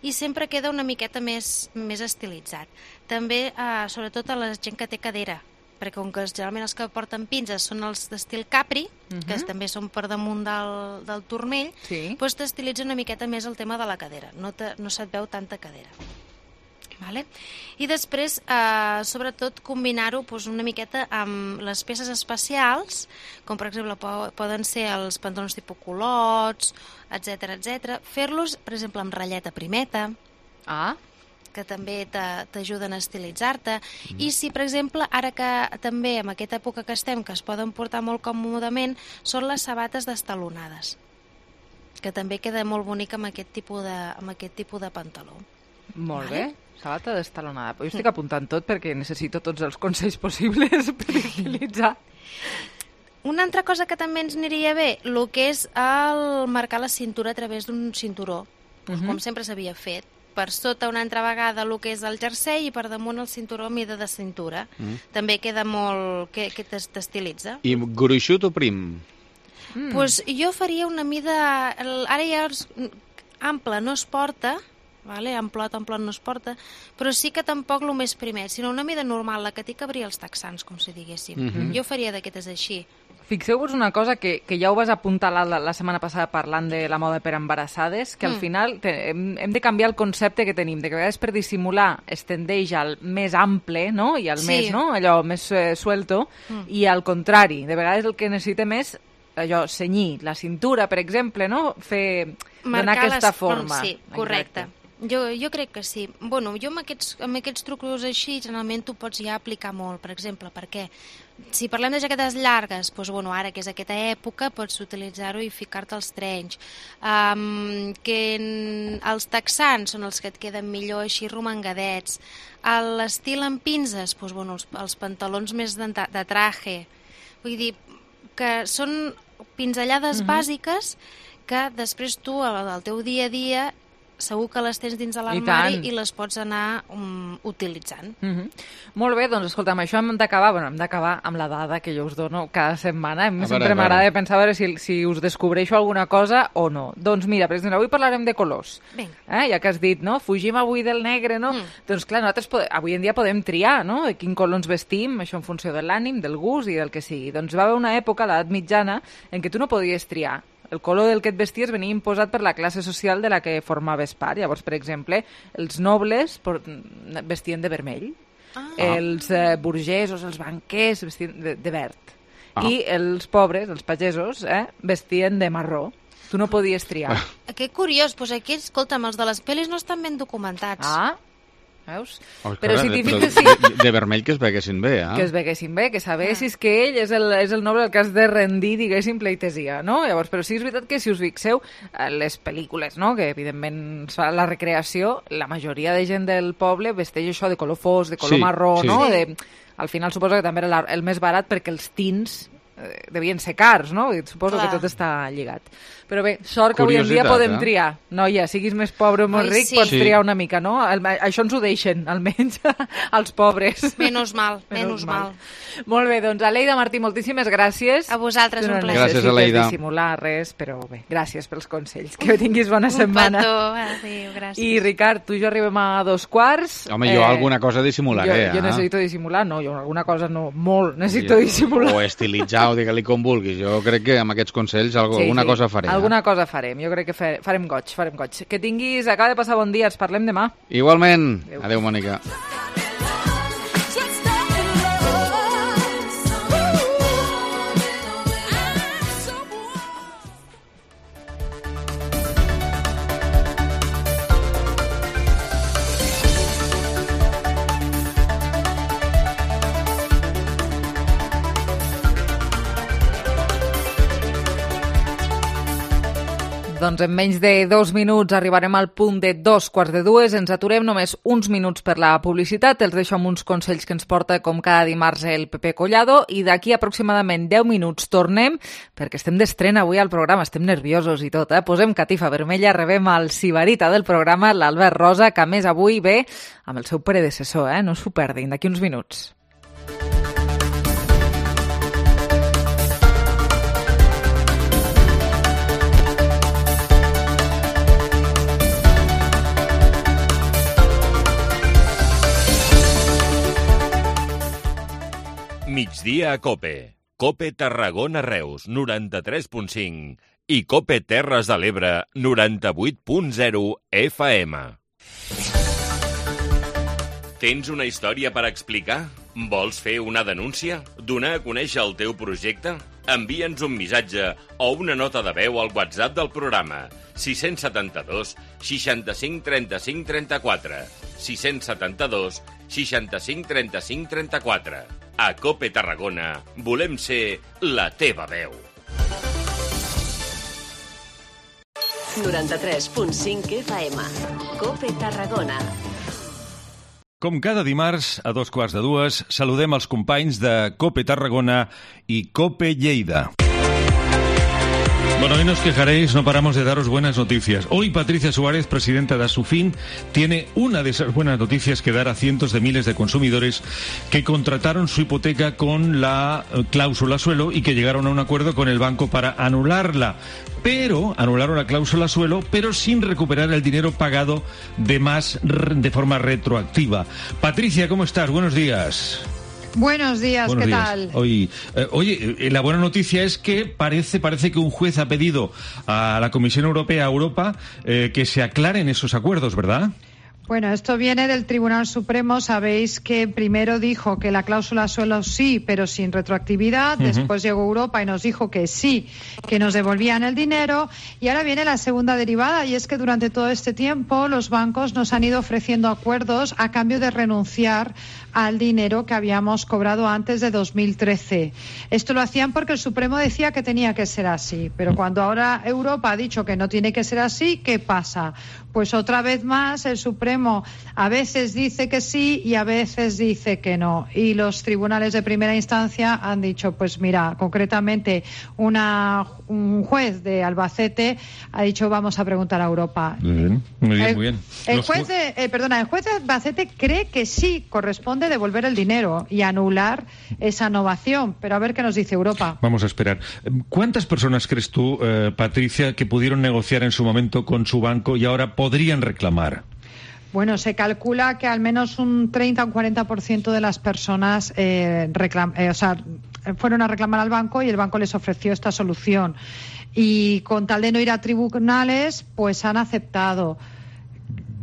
i sempre queda una miqueta més, més estilitzat. També, eh, sobretot a la gent que té cadera, perquè com que generalment els que porten pinces són els d'estil capri, uh-huh. que també són per damunt del, del turmell, sí. doncs t'estilitza una miqueta més el tema de la cadera, no, te, no se't veu tanta cadera. Vale? I després, eh, sobretot, combinar-ho doncs, una miqueta amb les peces especials, com per exemple poden ser els pantalons tipus culots, etcètera, etcètera. Fer-los, per exemple, amb ratlleta primeta, ah. que també t'ajuden a estilitzar-te. Mm. I si, per exemple, ara que també en aquesta època que estem, que es poden portar molt còmodament, són les sabates destalonades, que també queda molt bonic amb aquest tipus de, amb aquest tipus de pantaló. Molt vale? Bé, sabata destalonada. Jo estic apuntant tot perquè necessito tots els consells possibles per utilitzar. Una altra cosa que també ens aniria bé, el que és el marcar la cintura a través d'un cinturó, uh-huh. com sempre s'havia fet. Per sota una altra vegada el que és el jersei i per damunt el cinturó a mida de cintura. Mm. També queda molt... que, que t'estilitza. I gruixut o prim? Mm. Pues jo faria una mida... Ara ja ample no es porta, vale? amplot, amplot no es porta, però sí que tampoc el més primet, sinó una mida normal, la que t'hi cabria els texans, com si diguéssim. Mm-hmm. Jo faria d'aquestes així. Fixeu-vos una cosa que, que ja ho vas apuntar la, la setmana passada parlant de la moda per embarassades, que mm. al final te, hem, hem de canviar el concepte que tenim, de que a vegades per dissimular es tendeix al més ample, no? I al sí. més, no? Allò més eh, suelto, mm. i al contrari, de vegades el que necessitem és allò, senyir la cintura, per exemple, no? Fer, donar Marcar aquesta les... forma. Sí, correcte. Jo, jo crec que sí. Bueno, jo amb aquests, amb aquests trucos així, generalment tu pots ja aplicar molt, per exemple, perquè si parlem de jaquetes llargues, doncs, bueno, ara que és aquesta època, pots utilitzar-ho i ficar-te els trenys. Um, que en, els texans són els que et queden millor així romangadets. A l'estil amb pinces, doncs, bueno, els, els pantalons més de, de traje. Vull dir que són pinzellades uh-huh. bàsiques que després tu, al, al teu dia a dia, segur que les tens dins de l'armari i, i les pots anar um, utilitzant. Mm-hmm. Molt bé, doncs escolta, amb això hem d'acabar, bueno, hem d'acabar amb la dada que jo us dono cada setmana. A mi sempre m'agrada pensar a veure si, si us descobreixo alguna cosa o no. Doncs mira, per exemple, avui parlarem de colors. Eh? Ja que has dit, no? Fugim avui del negre, no? Mm. Doncs clar, nosaltres pode... avui en dia podem triar, no? De quin color ens vestim, això en funció de l'ànim, del gust i del que sigui. Doncs va haver una època, l'edat mitjana, en què tu no podies triar. El color del que et vesties venia imposat per la classe social de la que formaves part. Llavors, per exemple, els nobles vestien de vermell, ah. els eh, burgesos, els banquers vestien de, de verd, ah. i els pobres, els pagesos, eh, vestien de marró. Tu no podies triar. Ah. Que curiós, doncs aquí, escolta'm, els de les pel·lis no estan ben documentats. Ah, veus? Oh, però clar, si t'hi però fiques... Sí. De, de vermell que es veguessin bé, eh? Que es veguessin bé, que sabessis ah. que ell és el, és el noble al que has de rendir, diguéssim, pleitesia, no? Llavors, però sí és veritat que si us fixeu, les pel·lícules, no?, que evidentment fa la recreació, la majoria de gent del poble vesteix això de color fosc, de color sí, marró, sí. no? De, al final suposo que també era el més barat perquè els tints eh, devien ser cars, no? I suposo Clar. que tot està lligat. Però bé, sort que avui en dia podem eh? triar. Noia, siguis més pobre o més ric, sí. pots sí. triar una mica, no? El, això ens ho deixen, almenys, als pobres. Menys mal, menys mal. mal. Molt bé, doncs, Aleida Martí, moltíssimes gràcies. A vosaltres, un plaer. Gràcies, Aleida. No dissimular res, però bé, gràcies pels consells. Que tinguis bona un setmana. Un petó, adéu, gràcies. I, Ricard, tu i jo arribem a dos quarts. Home, jo eh, alguna cosa dissimularé, jo, jo eh? necessito dissimular, no, jo alguna cosa no, molt necessito jo, dissimular. O estilitzar, o digue-li com vulguis. Jo crec que amb aquests consells alguna sí, sí. cosa faré. Alguna eh? cosa farem. Jo crec que farem goig, farem goig. Que tinguis, acaba de passar bon dia, ens parlem demà. Igualment. Adéu, Adéu Mònica. Doncs en menys de dos minuts arribarem al punt de dos quarts de dues. Ens aturem només uns minuts per la publicitat. Els deixo amb uns consells que ens porta com cada dimarts el Pepe Collado i d'aquí aproximadament deu minuts tornem perquè estem d'estrena avui al programa. Estem nerviosos i tot, eh? Posem catifa vermella, rebem el sibarita del programa, l'Albert Rosa, que a més avui ve amb el seu predecessor, eh? No s'ho perdin, d'aquí uns minuts. Migdia a Cope. Cope Tarragona Reus, noranta-tres punt cinc. I Cope Terres de l'Ebre, noranta-vuit punt zero F M. Tens una història per explicar? Vols fer una denúncia? Donar a conèixer el teu projecte? Envia'ns un missatge o una nota de veu al WhatsApp del programa sis cents i setanta-dos seixanta-cinc trenta-cinc trenta-quatre sis cents i setanta-dos seixanta-cinc trenta-cinc trenta-quatre. A Cope Tarragona volem ser la teva veu. noranta-tres punt cinc F M. Cope Tarragona. Com cada dimarts, a dos quarts de dues, saludem els companys de Cope Tarragona i Cope Lleida. Bueno, hoy nos quejaréis, no paramos de daros buenas noticias. Hoy Patricia Suárez, presidenta de Asufin, tiene una de esas buenas noticias que dar a cientos de miles de consumidores que contrataron su hipoteca con la cláusula suelo y que llegaron a un acuerdo con el banco para anularla. Pero anularon la cláusula suelo, pero sin recuperar el dinero pagado de más de forma retroactiva. Patricia, ¿cómo estás? Buenos días. Buenos días, Buenos ¿qué días. tal? Oye, eh, oye, eh, la buena noticia es que parece, parece que un juez ha pedido a la Comisión Europea, a Europa, eh, que se aclaren esos acuerdos, ¿verdad? Bueno, esto viene del Tribunal Supremo. Sabéis que primero dijo que la cláusula suelo sí, pero sin retroactividad. Uh-huh. Después llegó Europa y nos dijo que sí, que nos devolvían el dinero. Y ahora viene la segunda derivada, y es que durante todo este tiempo los bancos nos han ido ofreciendo acuerdos a cambio de renunciar al dinero que habíamos cobrado antes de dos mil trece. Esto lo hacían porque el Supremo decía que tenía que ser así. Pero cuando ahora Europa ha dicho que no tiene que ser así, ¿qué pasa? Pues otra vez más el Supremo a veces dice que sí y a veces dice que no. Y los tribunales de primera instancia han dicho, pues mira, concretamente una, un juez de Albacete ha dicho, vamos a preguntar a Europa. Muy bien, muy bien, el, muy bien. El juez, de, eh, perdona, el juez de Albacete cree que sí corresponde devolver el dinero y anular esa innovación. Pero a ver qué nos dice Europa. Vamos a esperar. ¿Cuántas personas crees tú, eh, Patricia, que pudieron negociar en su momento con su banco y ahora podrían reclamar? Bueno, se calcula que al menos un treinta o un cuarenta por ciento de las personas eh, reclam- eh, o sea, fueron a reclamar al banco y el banco les ofreció esta solución. Y con tal de no ir a tribunales, pues han aceptado.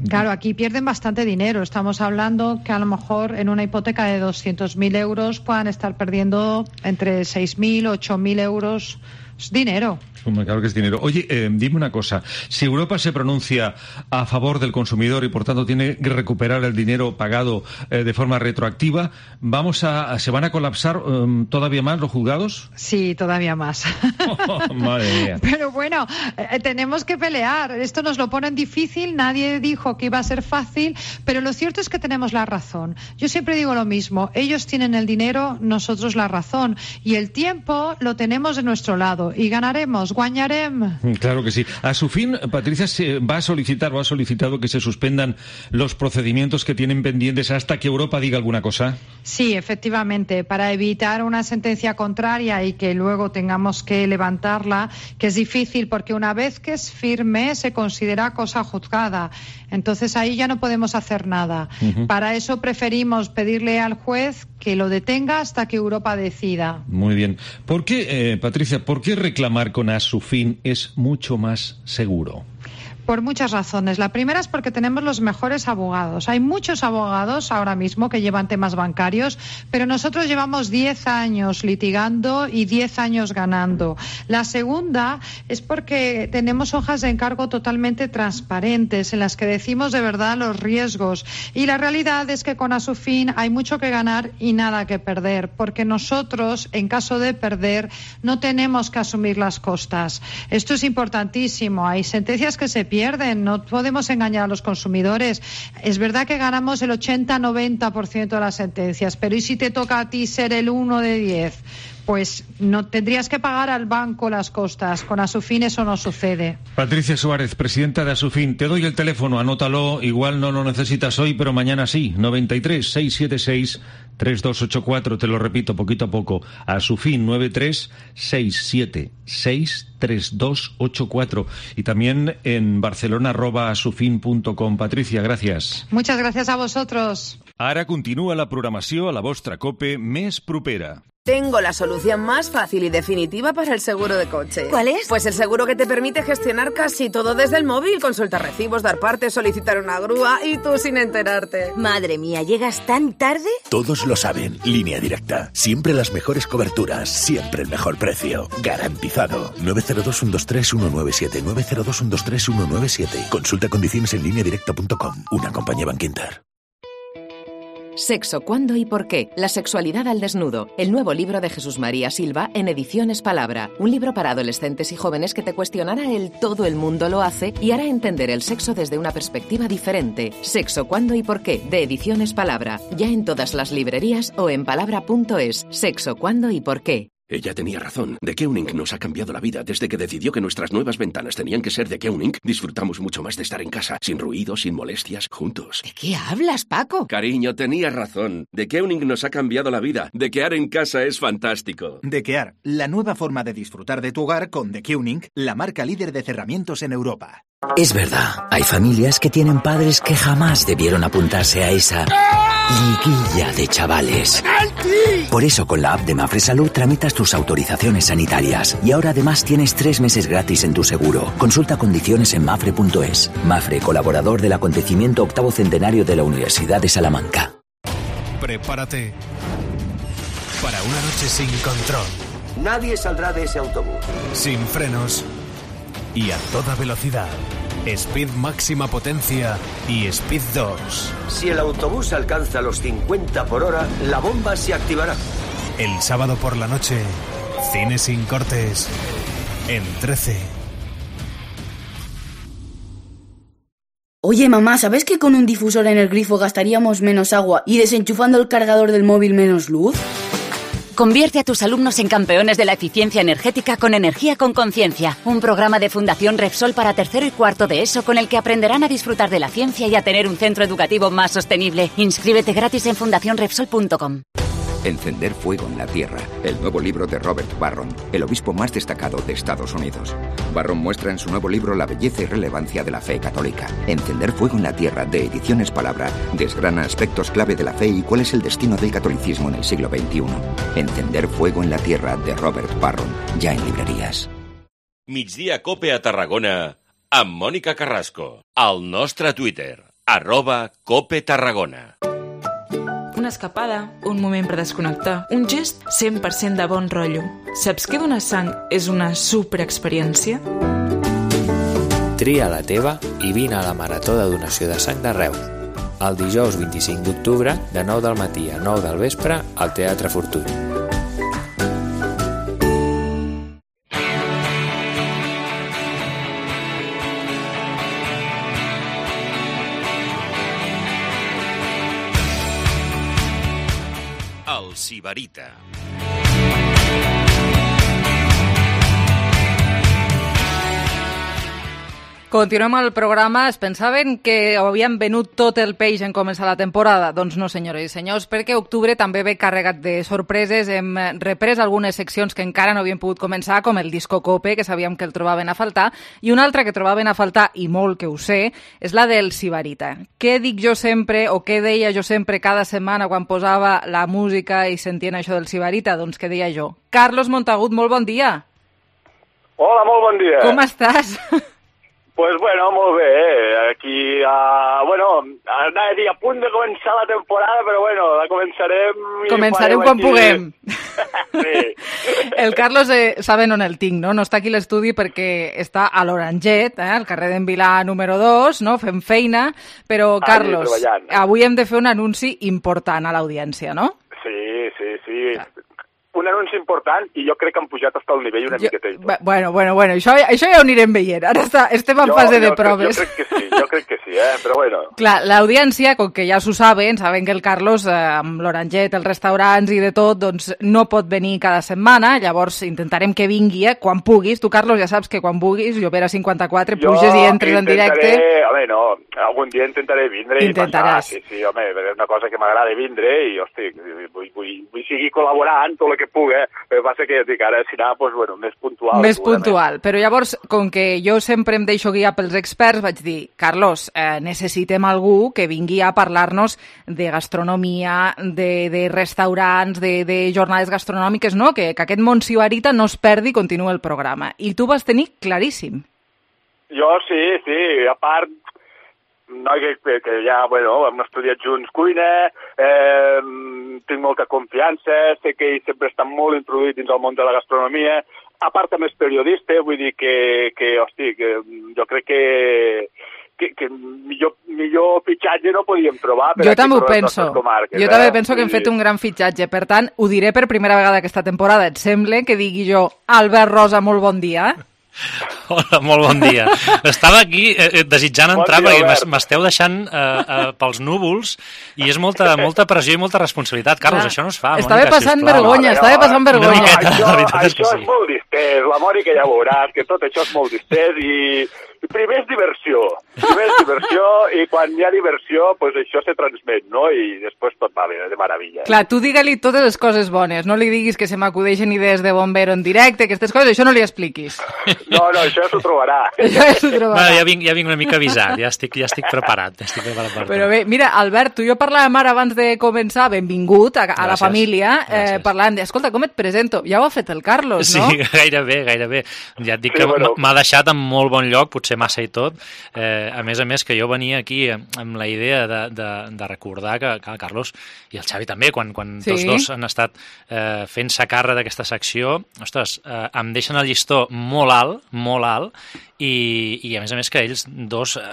Claro, aquí pierden bastante dinero. Estamos hablando que a lo mejor en una hipoteca de doscientos mil euros puedan estar perdiendo entre seis mil, ocho mil euros. Es dinero. Claro que es dinero. Oye, eh, dime una cosa. Si Europa se pronuncia a favor del consumidor y por tanto tiene que recuperar el dinero pagado eh, de forma retroactiva, ¿vamos a, ¿se van a colapsar um, todavía más los juzgados? Sí, todavía más. Oh, madre mía. Pero bueno, eh, tenemos que pelear. Esto nos lo ponen difícil. Nadie dijo que iba a ser fácil, pero lo cierto es que tenemos la razón. Yo siempre digo lo mismo. Ellos tienen el dinero, nosotros la razón. Y el tiempo lo tenemos de nuestro lado. Y ganaremos. Guanyarem. Claro que sí. A su fin, Patricia se va a solicitar o ha solicitado que se suspendan los procedimientos que tienen pendientes hasta que Europa diga alguna cosa. Sí, efectivamente, para evitar una sentencia contraria y que luego tengamos que levantarla, que es difícil porque una vez que es firme se considera cosa juzgada. Entonces ahí ya no podemos hacer nada. Uh-huh. Para eso preferimos pedirle al juez que lo detenga hasta que Europa decida. Muy bien. ¿Por qué, eh, Patricia, por qué reclamar con Asufin es mucho más seguro? Por muchas razones. La primera es porque tenemos los mejores abogados. Hay muchos abogados ahora mismo que llevan temas bancarios, pero nosotros llevamos diez años litigando y diez años ganando. La segunda es porque tenemos hojas de encargo totalmente transparentes en las que decimos de verdad los riesgos. Y la realidad es que con Asufin hay mucho que ganar y nada que perder, porque nosotros, en caso de perder, no tenemos que asumir las costas. Esto es importantísimo. Hay sentencias que se pierden. Pierden, no podemos engañar a los consumidores. Es verdad que ganamos el ochenta a noventa por ciento de las sentencias, pero ¿y si te toca a ti ser el uno de diez? Pues no tendrías que pagar al banco las costas. Con Asufin eso no sucede. Patricia Suárez, presidenta de Asufin, te doy el teléfono, anótalo, igual no lo necesitas hoy, pero mañana sí. noventa y tres, seiscientos setenta y seis, treinta y dos ochenta y cuatro, te lo repito poquito a poco. Asufin, noventa y tres, seiscientos setenta y seis, treinta y dos ochenta y cuatro. Y también en barcelona arroba asufin punto com. Patricia, gracias. Muchas gracias a vosotros. Ara continua la programació a la vostra COPE més propera. Tengo la solución más fácil y definitiva para el seguro de coche. ¿Cuál es? Pues el seguro que te permite gestionar casi todo desde el móvil. Consultar recibos, dar partes, solicitar una grúa y tú sin enterarte. Madre mía, ¿llegas tan tarde? Todos lo saben. Línea Directa. Siempre las mejores coberturas. Siempre el mejor precio. Garantizado. nueve cero dos, uno dos tres, uno nueve siete. nueve cero dos, uno dos tres, uno nueve siete. Consulta condiciones en línea directa punto com. Una compañía Bankinter. Sexo, cuándo y por qué. La sexualidad al desnudo. El nuevo libro de Jesús María Silva en Ediciones Palabra. Un libro para adolescentes y jóvenes que te cuestionará el todo el mundo lo hace y hará entender el sexo desde una perspectiva diferente. Sexo, cuándo y por qué. De Ediciones Palabra. Ya en todas las librerías o en palabra punto es. Sexo, cuándo y por qué. Ella tenía razón. The Keuning nos ha cambiado la vida. Desde que decidió que nuestras nuevas ventanas tenían que ser de Keuning, disfrutamos mucho más de estar en casa, sin ruido, sin molestias, juntos. ¿De qué hablas, Paco? Cariño, tenía razón. The Keuning nos ha cambiado la vida. Dequear en casa es fantástico. Dequear, la nueva forma de disfrutar de tu hogar con The Keuning, la marca líder de cerramientos en Europa. Es verdad, hay familias que tienen padres que jamás debieron apuntarse a esa liguilla de chavales. Por eso con la app de Mafre Salud tramitas tus autorizaciones sanitarias y ahora además tienes tres meses gratis en tu seguro. Consulta condiciones en mafre punto es. Mafre, colaborador del acontecimiento octavo centenario de la Universidad de Salamanca. Prepárate para una noche sin control. Nadie saldrá de ese autobús. Sin frenos y a toda velocidad. Speed máxima potencia y Speed dos. Si el autobús alcanza los cincuenta por hora, la bomba se activará. El sábado por la noche, cine sin cortes en trece. Oye, mamá, ¿sabes que con un difusor en el grifo gastaríamos menos agua y desenchufando el cargador del móvil menos luz? Convierte a tus alumnos en campeones de la eficiencia energética con Energía con Conciencia, un programa de Fundación Repsol para tercero y cuarto de ESO con el que aprenderán a disfrutar de la ciencia y a tener un centro educativo más sostenible. Inscríbete gratis en fundación repsol punto com. Encender fuego en la tierra, el nuevo libro de Robert Barron, el obispo más destacado de Estados Unidos. Barron muestra en su nuevo libro la belleza y relevancia de la fe católica. Encender fuego en la tierra, de Ediciones Palabra, desgrana aspectos clave de la fe y cuál es el destino del catolicismo en el siglo veintiuno. Encender fuego en la tierra, de Robert Barron, ya en librerías. Migdia Cope a Tarragona, amb Mònica Carrasco. Al nostre Twitter, arroba Cope Tarragona. Una escapada, un moment per desconnectar, un gest cent per cent de bon rotllo. Saps que donar sang és una superexperiència? Tria la teva i vine a la Marató de Donació de Sang de Reus. El dijous vint-i-cinc d'octubre, de nou del matí a nou del vespre, al Teatre Fortuny. Sibarita. Continuem el programa. Es pensaven que havien venut tot el peix en començar la temporada? Doncs no, senyores i senyors, perquè octubre també ve carregat de sorpreses. Hem reprès algunes seccions que encara no havien pogut començar, com el Disco Cope, que sabíem que el trobaven a faltar, i una altra que trobaven a faltar, i molt que ho sé, és la del Sibarita. Què dic jo sempre, o què deia jo sempre cada setmana quan posava la música i sentien això del Sibarita? Doncs què deia jo? Carlos Montagut, molt bon dia. Hola, molt bon dia. Com estàs? Pues bueno, molt bé, eh? Aquí, uh, bueno, anava a dir a punt de començar la temporada, però bueno, la començarem... Començarem quan aquí. Puguem. Sí. El Carlos, eh, saben on el tinc, no? No està aquí a l'estudi perquè està a l'Oranget, eh? Al carrer d'en Vilà número dos, no? Fem feina, però Carlos, avui hem de fer un anunci important a l'audiència, no? Sí, sí, sí. Clar. Un anunci important i jo crec que han pujat fins al nivell una jo, miqueta. Bueno, bueno, bueno, això, això ja ho anirem veient. Ara està, estem en jo, fase de jo, proves. Jo crec que sí, jo crec que sí, eh? Però bueno. Clar, l'audiència, com que ja s'ho saben, saben que el Carlos, eh, amb l'Oranget, els restaurants i de tot, doncs no pot venir cada setmana, llavors intentarem que vingui, eh? Quan puguis. Tu, Carlos, ja saps que quan puguis, jo per a cinquanta-quatre, jo puges i entres en directe. Home, no, algun dia intentaré vindre Intentaràs. i passar. Sí, sí, home, és una cosa que m'agrada vindre i, hosti, vull, vull, vull seguir col·laborant tot el que pugui, eh? El que passa que ja dic, ara serà pues, bueno, més puntual. Més puntual, però llavors, com que jo sempre em deixo guiar pels experts, vaig dir, Carlos, eh, necessitem algú que vingui a parlar-nos de gastronomia, de, de restaurants, de, de jornades gastronòmiques, no? Que, que aquest món sibarita no es perdi i continuï el programa. I tu vas tenir claríssim. Jo sí, sí, a part... No, que, que ja, bueno, hem estudiat junts cuina, eh, tinc molta confiança, sé que ell sempre està molt introduït dins el món de la gastronomia, a part també és periodista, vull dir que, que hosti, que jo crec que, que, que millor, millor fitxatge no podíem trobar. Per jo també ho penso, jo eh? també penso que hem fet un gran fitxatge, per tant, ho diré per primera vegada aquesta temporada, et sembla que digui jo, Albert Rosa, molt bon dia, Hola, molt bon dia. Estava aquí eh, desitjant entrar bon dia, perquè m'esteu deixant eh, eh, pels núvols i és molta, molta pressió i molta responsabilitat. Carlos, ah, això no es fa, estava Mònica, passant sisplau. vergonya, estava passant vergonya. Miqueta, això, això és, és sí. molt distès, la Mònica ja veuràs que tot això és molt distès i, primer és diversió, primer és diversió i quan hi ha diversió, pues això se transmet, no? I després tot va bé, de meravella. Clar, tu digue-li totes les coses bones, no li diguis que se m'acudeixen idees de bombero en directe, aquestes coses, això no li expliquis. No, no, això ja s'ho trobarà. Això ja s'ho trobarà. Bueno, ja, vinc, ja vinc una mica avisat, ja estic, ja estic preparat. Ja estic preparat per Però bé, mira, Albert, tu i jo parlàvem ara abans de començar, benvingut a, a la família, eh, parlàvem de, escolta, com et presento? Ja ho ha fet el Carlos, no? Sí, gairebé, gairebé. Ja et dic sí, que bueno. m'ha deixat en molt bon lloc, potser massa i tot. Eh, a més a més que jo venia aquí amb la idea de, de, de recordar que, que el Carlos i el Xavi també, quan, quan sí. tots dos han estat eh, fent-se càrrec d'aquesta secció, ostres, eh, em deixen el llistó molt alt, molt alt, i, i a més a més que ells dos eh,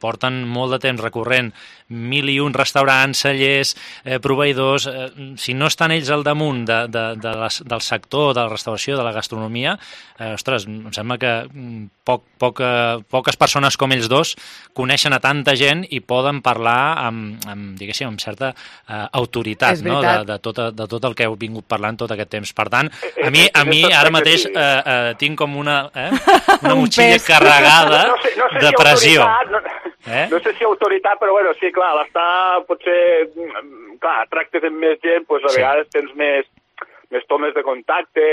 porten molt de temps recorrent mil i un restaurants, cellers, eh, proveïdors, eh, si no estan ells al damunt de, de, de les, del sector de la restauració, de la gastronomia, eh, ostres, em sembla que poc, poc, eh, poques persones com ells dos coneixen a tanta gent i poden parlar amb, amb diguéssim, amb certa eh, autoritat, no? de, de, tot, de tot el que heu vingut parlant tot aquest temps. Per tant, a mi, a mi ara mateix eh, eh, tinc com una, eh, una motxilla carregada no sé, no sé de si pressió. No, eh? no sé si autoritat, però bueno, sí, clar, l'està, potser, clar, tractes amb més gent, doncs a sí. vegades tens més, més tomes de contacte,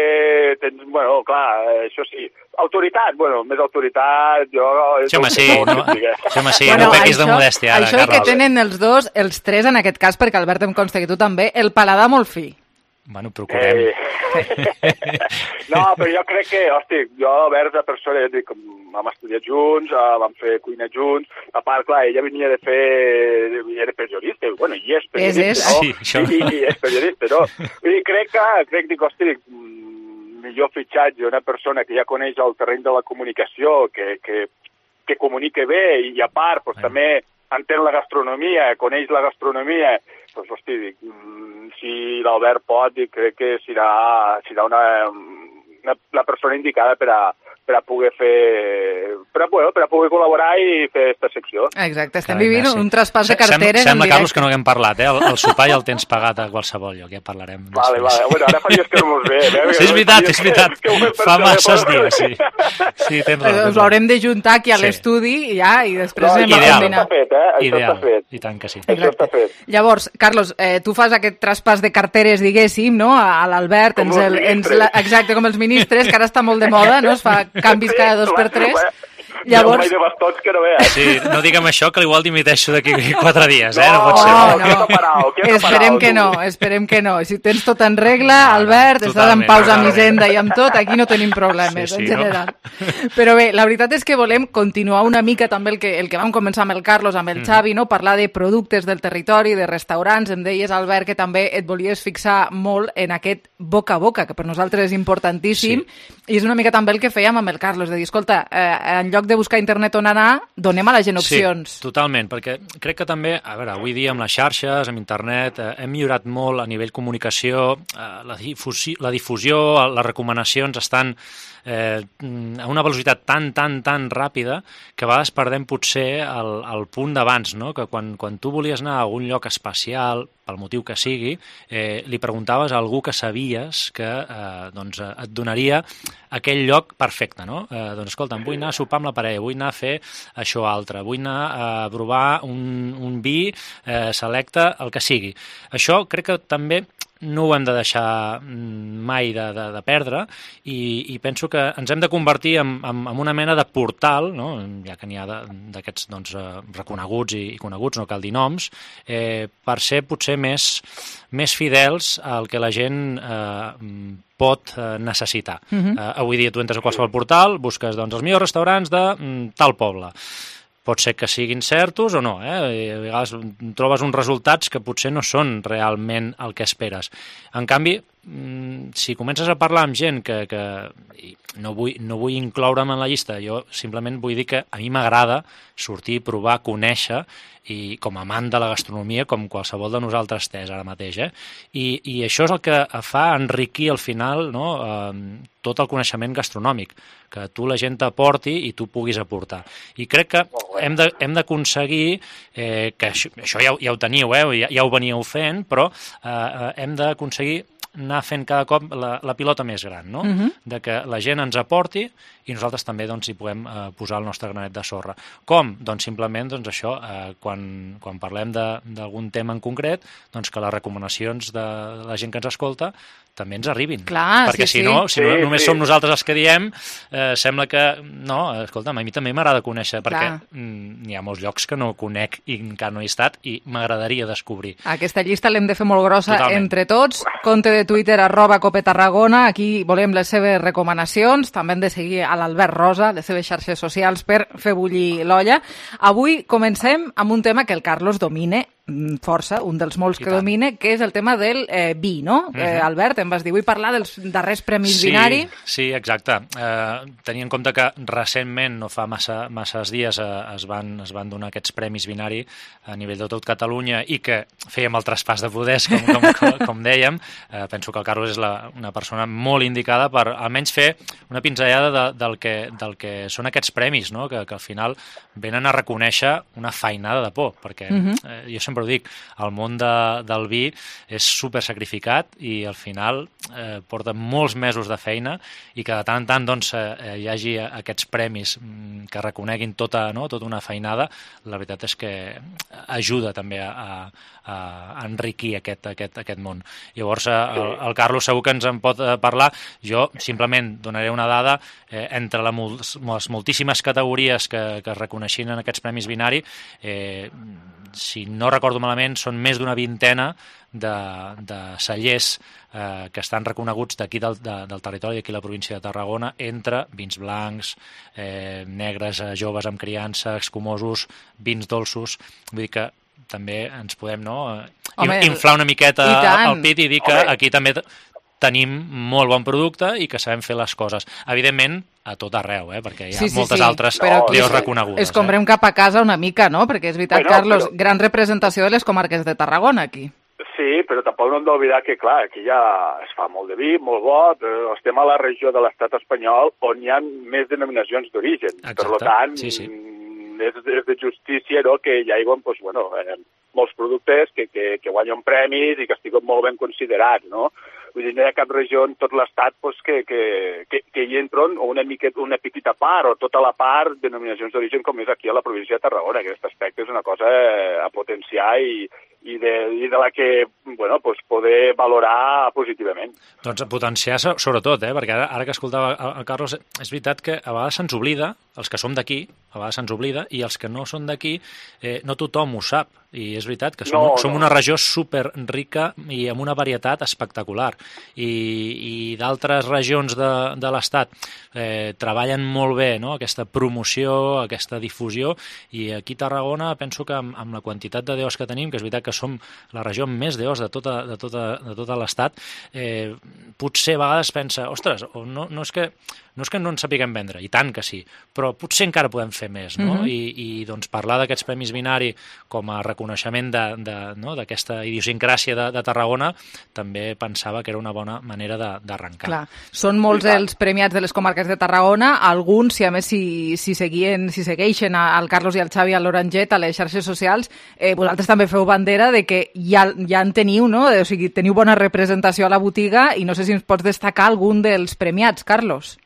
tens, bueno, clar, això sí. Autoritat, bueno, més autoritat, jo... Sí, home, sí, no, sí, home, sí, bueno, no pequis de modèstia, ara, això Carles. Que tenen els dos, els tres en aquest cas, perquè Albert em consta que tu també, el paladar molt fi. Bueno, procurem. Eh... no, però jo crec que, hosti, jo, Albert, la persona, ja dic, vam estudiar junts, vam fer cuina junts, a part, clar, ella venia de fer... era periodista, bueno, i és periodista, és, és. no? Sí, això... I, i és periodista, no? I crec que, crec, dic, hosti, millor fitxatge, una persona que ja coneix el terreny de la comunicació, que, que, que comunica bé, i a part, doncs, també entén la gastronomia, coneix la gastronomia, doncs, hosti, dic, si l'Albert pot, dic, crec que serà, serà una, una, la persona indicada per a, per a poder fer... Per a, bueno, per a poder col·laborar i fer aquesta secció. Exacte, estem Carai, vivint sí. un traspàs de carteres Sembla, Carlos, que no haguem parlat, eh? El, el sopar ja el tens pagat a qualsevol lloc, ja parlarem. Vale, vale, bueno, ara fa dies que no mos ve. Eh? Sí, és veritat, és veritat. Que, que fa masses dies, sí. Sí, tens raó. Us l'haurem de juntar aquí a sí. l'estudi i ja, i després no, anem a combinar. Això està fet, eh? Això Ideal. està fet. I tant que sí. Això està fet. Llavors, Carlos, eh, tu fas aquest traspàs de carteres, diguéssim, no? A l'Albert, ens el, ens la, exacte, com els ministres, que ara està molt de moda, no? Es fa canvis cada dos per tres. Llavors... de bastons que no veus. Sí, no diguem això, que igual dimiteixo d'aquí quatre dies, eh? No, no pot ser. No, no. Parau, esperem que no, esperem que no. Si tens tot en regla, no, Albert, estàs en pausa amb Hisenda i amb tot, aquí no tenim problemes, sí, sí, en general. No? Però bé, la veritat és que volem continuar una mica també el que, el que vam començar amb el Carlos, amb el mm. Xavi, no? Parlar de productes del territori, de restaurants. Em deies, Albert, que també et volies fixar molt en aquest boca a boca, que per nosaltres és importantíssim, sí. i és una mica també el que fèiem amb el Carlos, de dir, escolta, eh, en lloc de buscar internet on anar, donem a la gent opcions. Sí, totalment, perquè crec que també, a veure, avui dia amb les xarxes, amb internet, eh, hem millorat molt a nivell comunicació, eh, la, difusió, la difusió, les recomanacions estan eh, a una velocitat tan, tan, tan ràpida que a vegades perdem potser el, el punt d'abans, no? Que quan, quan tu volies anar a algun lloc especial, pel motiu que sigui, eh, li preguntaves a algú que sabies que eh, doncs, et donaria aquell lloc perfecte, no? Eh, doncs escolta, vull anar a sopar amb la parella, vull anar a fer això altre, vull anar a provar un, un vi eh, selecte, el que sigui. Això crec que també no ho hem de deixar mai de, de, de perdre i, i penso que ens hem de convertir en, en, en una mena de portal, no? Ja que n'hi ha d'aquests doncs, reconeguts i, i coneguts, no cal dir noms, eh, per ser potser més, més fidels al que la gent eh, pot eh, necessitar. Uh-huh. eh, avui dia tu entres a qualsevol portal, busques doncs, els millors restaurants de mm, tal poble. Pot ser que siguin certos o no, eh? I a vegades trobes uns resultats que potser no són realment el que esperes. En canvi, si comences a parlar amb gent que, que no vull, no vull incloure'm en la llista, jo simplement vull dir que a mi m'agrada sortir, provar, conèixer, i com a amant de la gastronomia, com qualsevol de nosaltres té ara mateix, eh? I, i això és el que fa enriquir al final, no? eh, tot el coneixement gastronòmic, que tu la gent t'aporti i tu puguis aportar. I crec que hem de, hem d'aconseguir, eh, que això, això ja, ja ho teniu, eh? ja, ja ho veníeu fent, però eh, hem d'aconseguir anar fent cada cop la, la pilota més gran, no? Uh-huh. De que la gent ens aporti i nosaltres també doncs, hi puguem eh, posar el nostre granet de sorra. Com? Doncs simplement doncs, això, eh, quan, quan parlem d'algun tema en concret, doncs que les recomanacions de la gent que ens escolta també ens arribin. Clar, perquè sí, si no, sí. si no Sí, només sí. som nosaltres els que diem, eh, sembla que, no, escolta'm, a mi també m'agrada conèixer, perquè mm, hi ha molts llocs que no conec i encara no he estat i m'agradaria descobrir. Aquesta llista l'hem de fer molt grossa Totalment. entre tots. Compte de Twitter, arroba Cope Tarragona. Aquí volem les seves recomanacions. També hem de seguir a l'Albert Rosa, les seves xarxes socials, per fer bullir l'olla. Avui comencem amb un tema que el Carlos domine força, un dels molts que domine, que és el tema del eh, vi, no? Uh-huh. eh, Albert, em vas dir, vull parlar dels darrers premis sí, Vinari. Sí, exacte. Eh, tenint en compte que recentment, no fa massa, masses dies, eh, es, van, es van donar aquests premis Vinari a nivell de tot Catalunya i que fèiem el traspàs de poders, com, com, com, com dèiem, eh, penso que el Carlos és la, una persona molt indicada per almenys fer una pinzellada de, del, que, del que són aquests premis, no? que, que al final venen a reconèixer una feinada de por, perquè uh-huh. eh, jo sempre ho dic, el món de, del vi és super sacrificat i al final eh, porta molts mesos de feina i que de tant en tant doncs, eh, hi hagi aquests premis mm, que reconeguin tota, no, tota una feinada, la veritat és que ajuda també a, a, a enriquir aquest, aquest, aquest món. Llavors el, el Carlos segur que ens en pot parlar. Jo simplement donaré una dada, eh, entre la, les moltíssimes categories que, que es reconeixien en aquests premis Vinari, eh, si no recordo malament, són més d'una vintena de, de cellers eh, que estan reconeguts d'aquí del, de, del territori, d'aquí la província de Tarragona, entre vins blancs, eh, negres, eh, joves amb criança, escumosos, vins dolços. Vull dir que també ens podem no, Home, inflar una miqueta el pit i dir que Home. aquí també tenim molt bon producte i que sabem fer les coses. Evidentment, a tot arreu, eh? perquè hi ha sí, sí, moltes sí. altres leos reconegudes. Escombrem eh? cap a casa una mica, no? Perquè és veritat, bueno, Carlos, però... gran representació de les comarques de Tarragona, aquí. Sí, però tampoc no hem d'oblidar que, clar, aquí ja es fa molt de vi, molt bo, però estem a la regió de l'estat espanyol on hi ha més denominacions d'origen. Per tant, sí, sí. És, és de justícia no? que hi hagi doncs, bueno, eh, molts productes que, que, que guanyen premis i que estiguen molt ben considerats, no? Vull dir, no hi ha cap regió en tot l'estat pues, que, que, que, que hi entren una, miqueta, una petita part o tota la part de denominacions d'origen com és aquí a la província de Tarragona. Aquest aspecte és una cosa a potenciar i, i, de, i de la que bueno, pues, poder valorar positivament. Doncs a potenciar sobretot, eh? perquè ara, ara que escoltava el Carlos, és veritat que a vegades se'ns oblida, els que som d'aquí, a vegades se'ns oblida, i els que no són d'aquí, eh, no tothom ho sap. I és veritat que som, no, som no. una regió super rica i amb una varietat espectacular. I, i d'altres regions de, de l'Estat eh, treballen molt bé no? aquesta promoció, aquesta difusió, i aquí a Tarragona penso que amb, amb la quantitat de deos que tenim, que és veritat que som la regió amb més deos de tota, de tota, de tota l'Estat, eh, potser a vegades pensa, ostres, no, no, és que, no és que no en sapiguem vendre, i tant que sí, però potser encara podem fer més, no? Mm-hmm. I, i doncs parlar d'aquests premis Vinari com a reconeixement d'aquesta no? idiosincràsia de, de Tarragona també pensava que era una bona manera d'arrencar. Clar, són molts els premiats de les comarques de Tarragona, alguns, si a més si, si, seguien, si segueixen al Carlos i al Xavi a l'Oranget a les xarxes socials, eh, vosaltres també feu bandera de que ja, ja en teniu, no? O sigui, teniu bona representació a la botiga i no sé si ens pots destacar algun dels premiats, Carlos.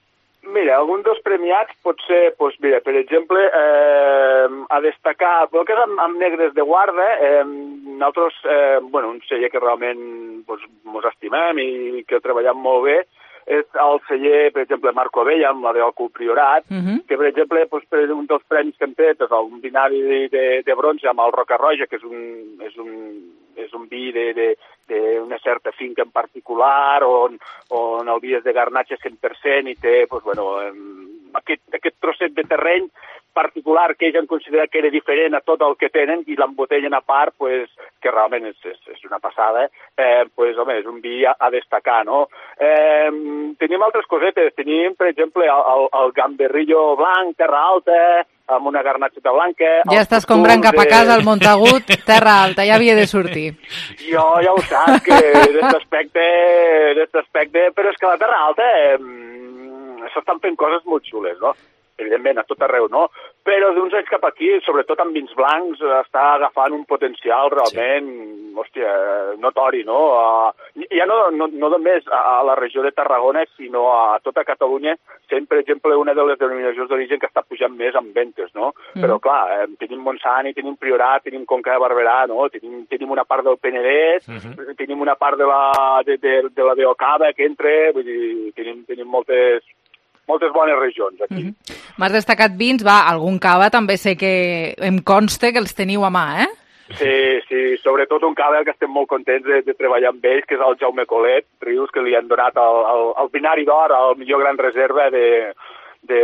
Mira, algun dels premiats pot ser, doncs, mira, per exemple, eh, a destacar, el que és amb, amb Negres de Guarda, eh, nosaltres, eh, bueno, un celler que realment doncs, mos estimem i que treballem molt bé, és el celler, per exemple, Marco Abella, amb la d'Òcul Priorat, uh-huh. que, per exemple, doncs, per un dels premis que hem fet és un Vinari de, de, de bronze amb el Roca Roja, que és un, és un, és un vi de, de, d'una certa finca en particular, on, on el vi és de garnatge cent per cent i té doncs, bueno, aquest, aquest trosset de terreny particular que ells han considerat que era diferent a tot el que tenen i l'embotellen a part, pues, que realment és, és, és una passada, eh, pues, home, és un vi a, a destacar, no? Eh, tenim altres cosetes, tenim, per exemple, el, el, el gamberrillo blanc, terra alta, amb una garnatxeta blanca... Ja estàs comprant cap a casa el Montagut, terra alta, ja havia de sortir. Jo ja ho saps, que d'aquest aspecte, d'aquest aspecte, però és que la terra alta eh, s'estan fent coses molt xules, no? Evidentment, a tot arreu, no? però d'uns anys cap aquí, sobretot amb vins blancs, està agafant un potencial realment, sí. hòstia, notori, no? Uh, ja no, no, no només a la regió de Tarragona, sinó a tota Catalunya, sent, per exemple, una de les denominacions d'origen que està pujant més en ventes, no? Mm. Però, clar, eh, tenim Montsant, tenim Priorat, tenim Conca de Barberà, no? Tenim, tenim una part del Penedès, mm -hmm. tenim una part de la, de, de, de la Beocada que entra, vull dir, tenim, tenim moltes... moltes bones regions aquí. Mm-hmm. M'has destacat vins, va, algun cava també sé que em consta que els teniu a mà, eh? Sí, sí, sobretot un cava que estem molt contents de, de treballar amb ells, que és el Jaume Colet Rius, que li han donat el, el, el binari d'or, el millor gran reserva de, de,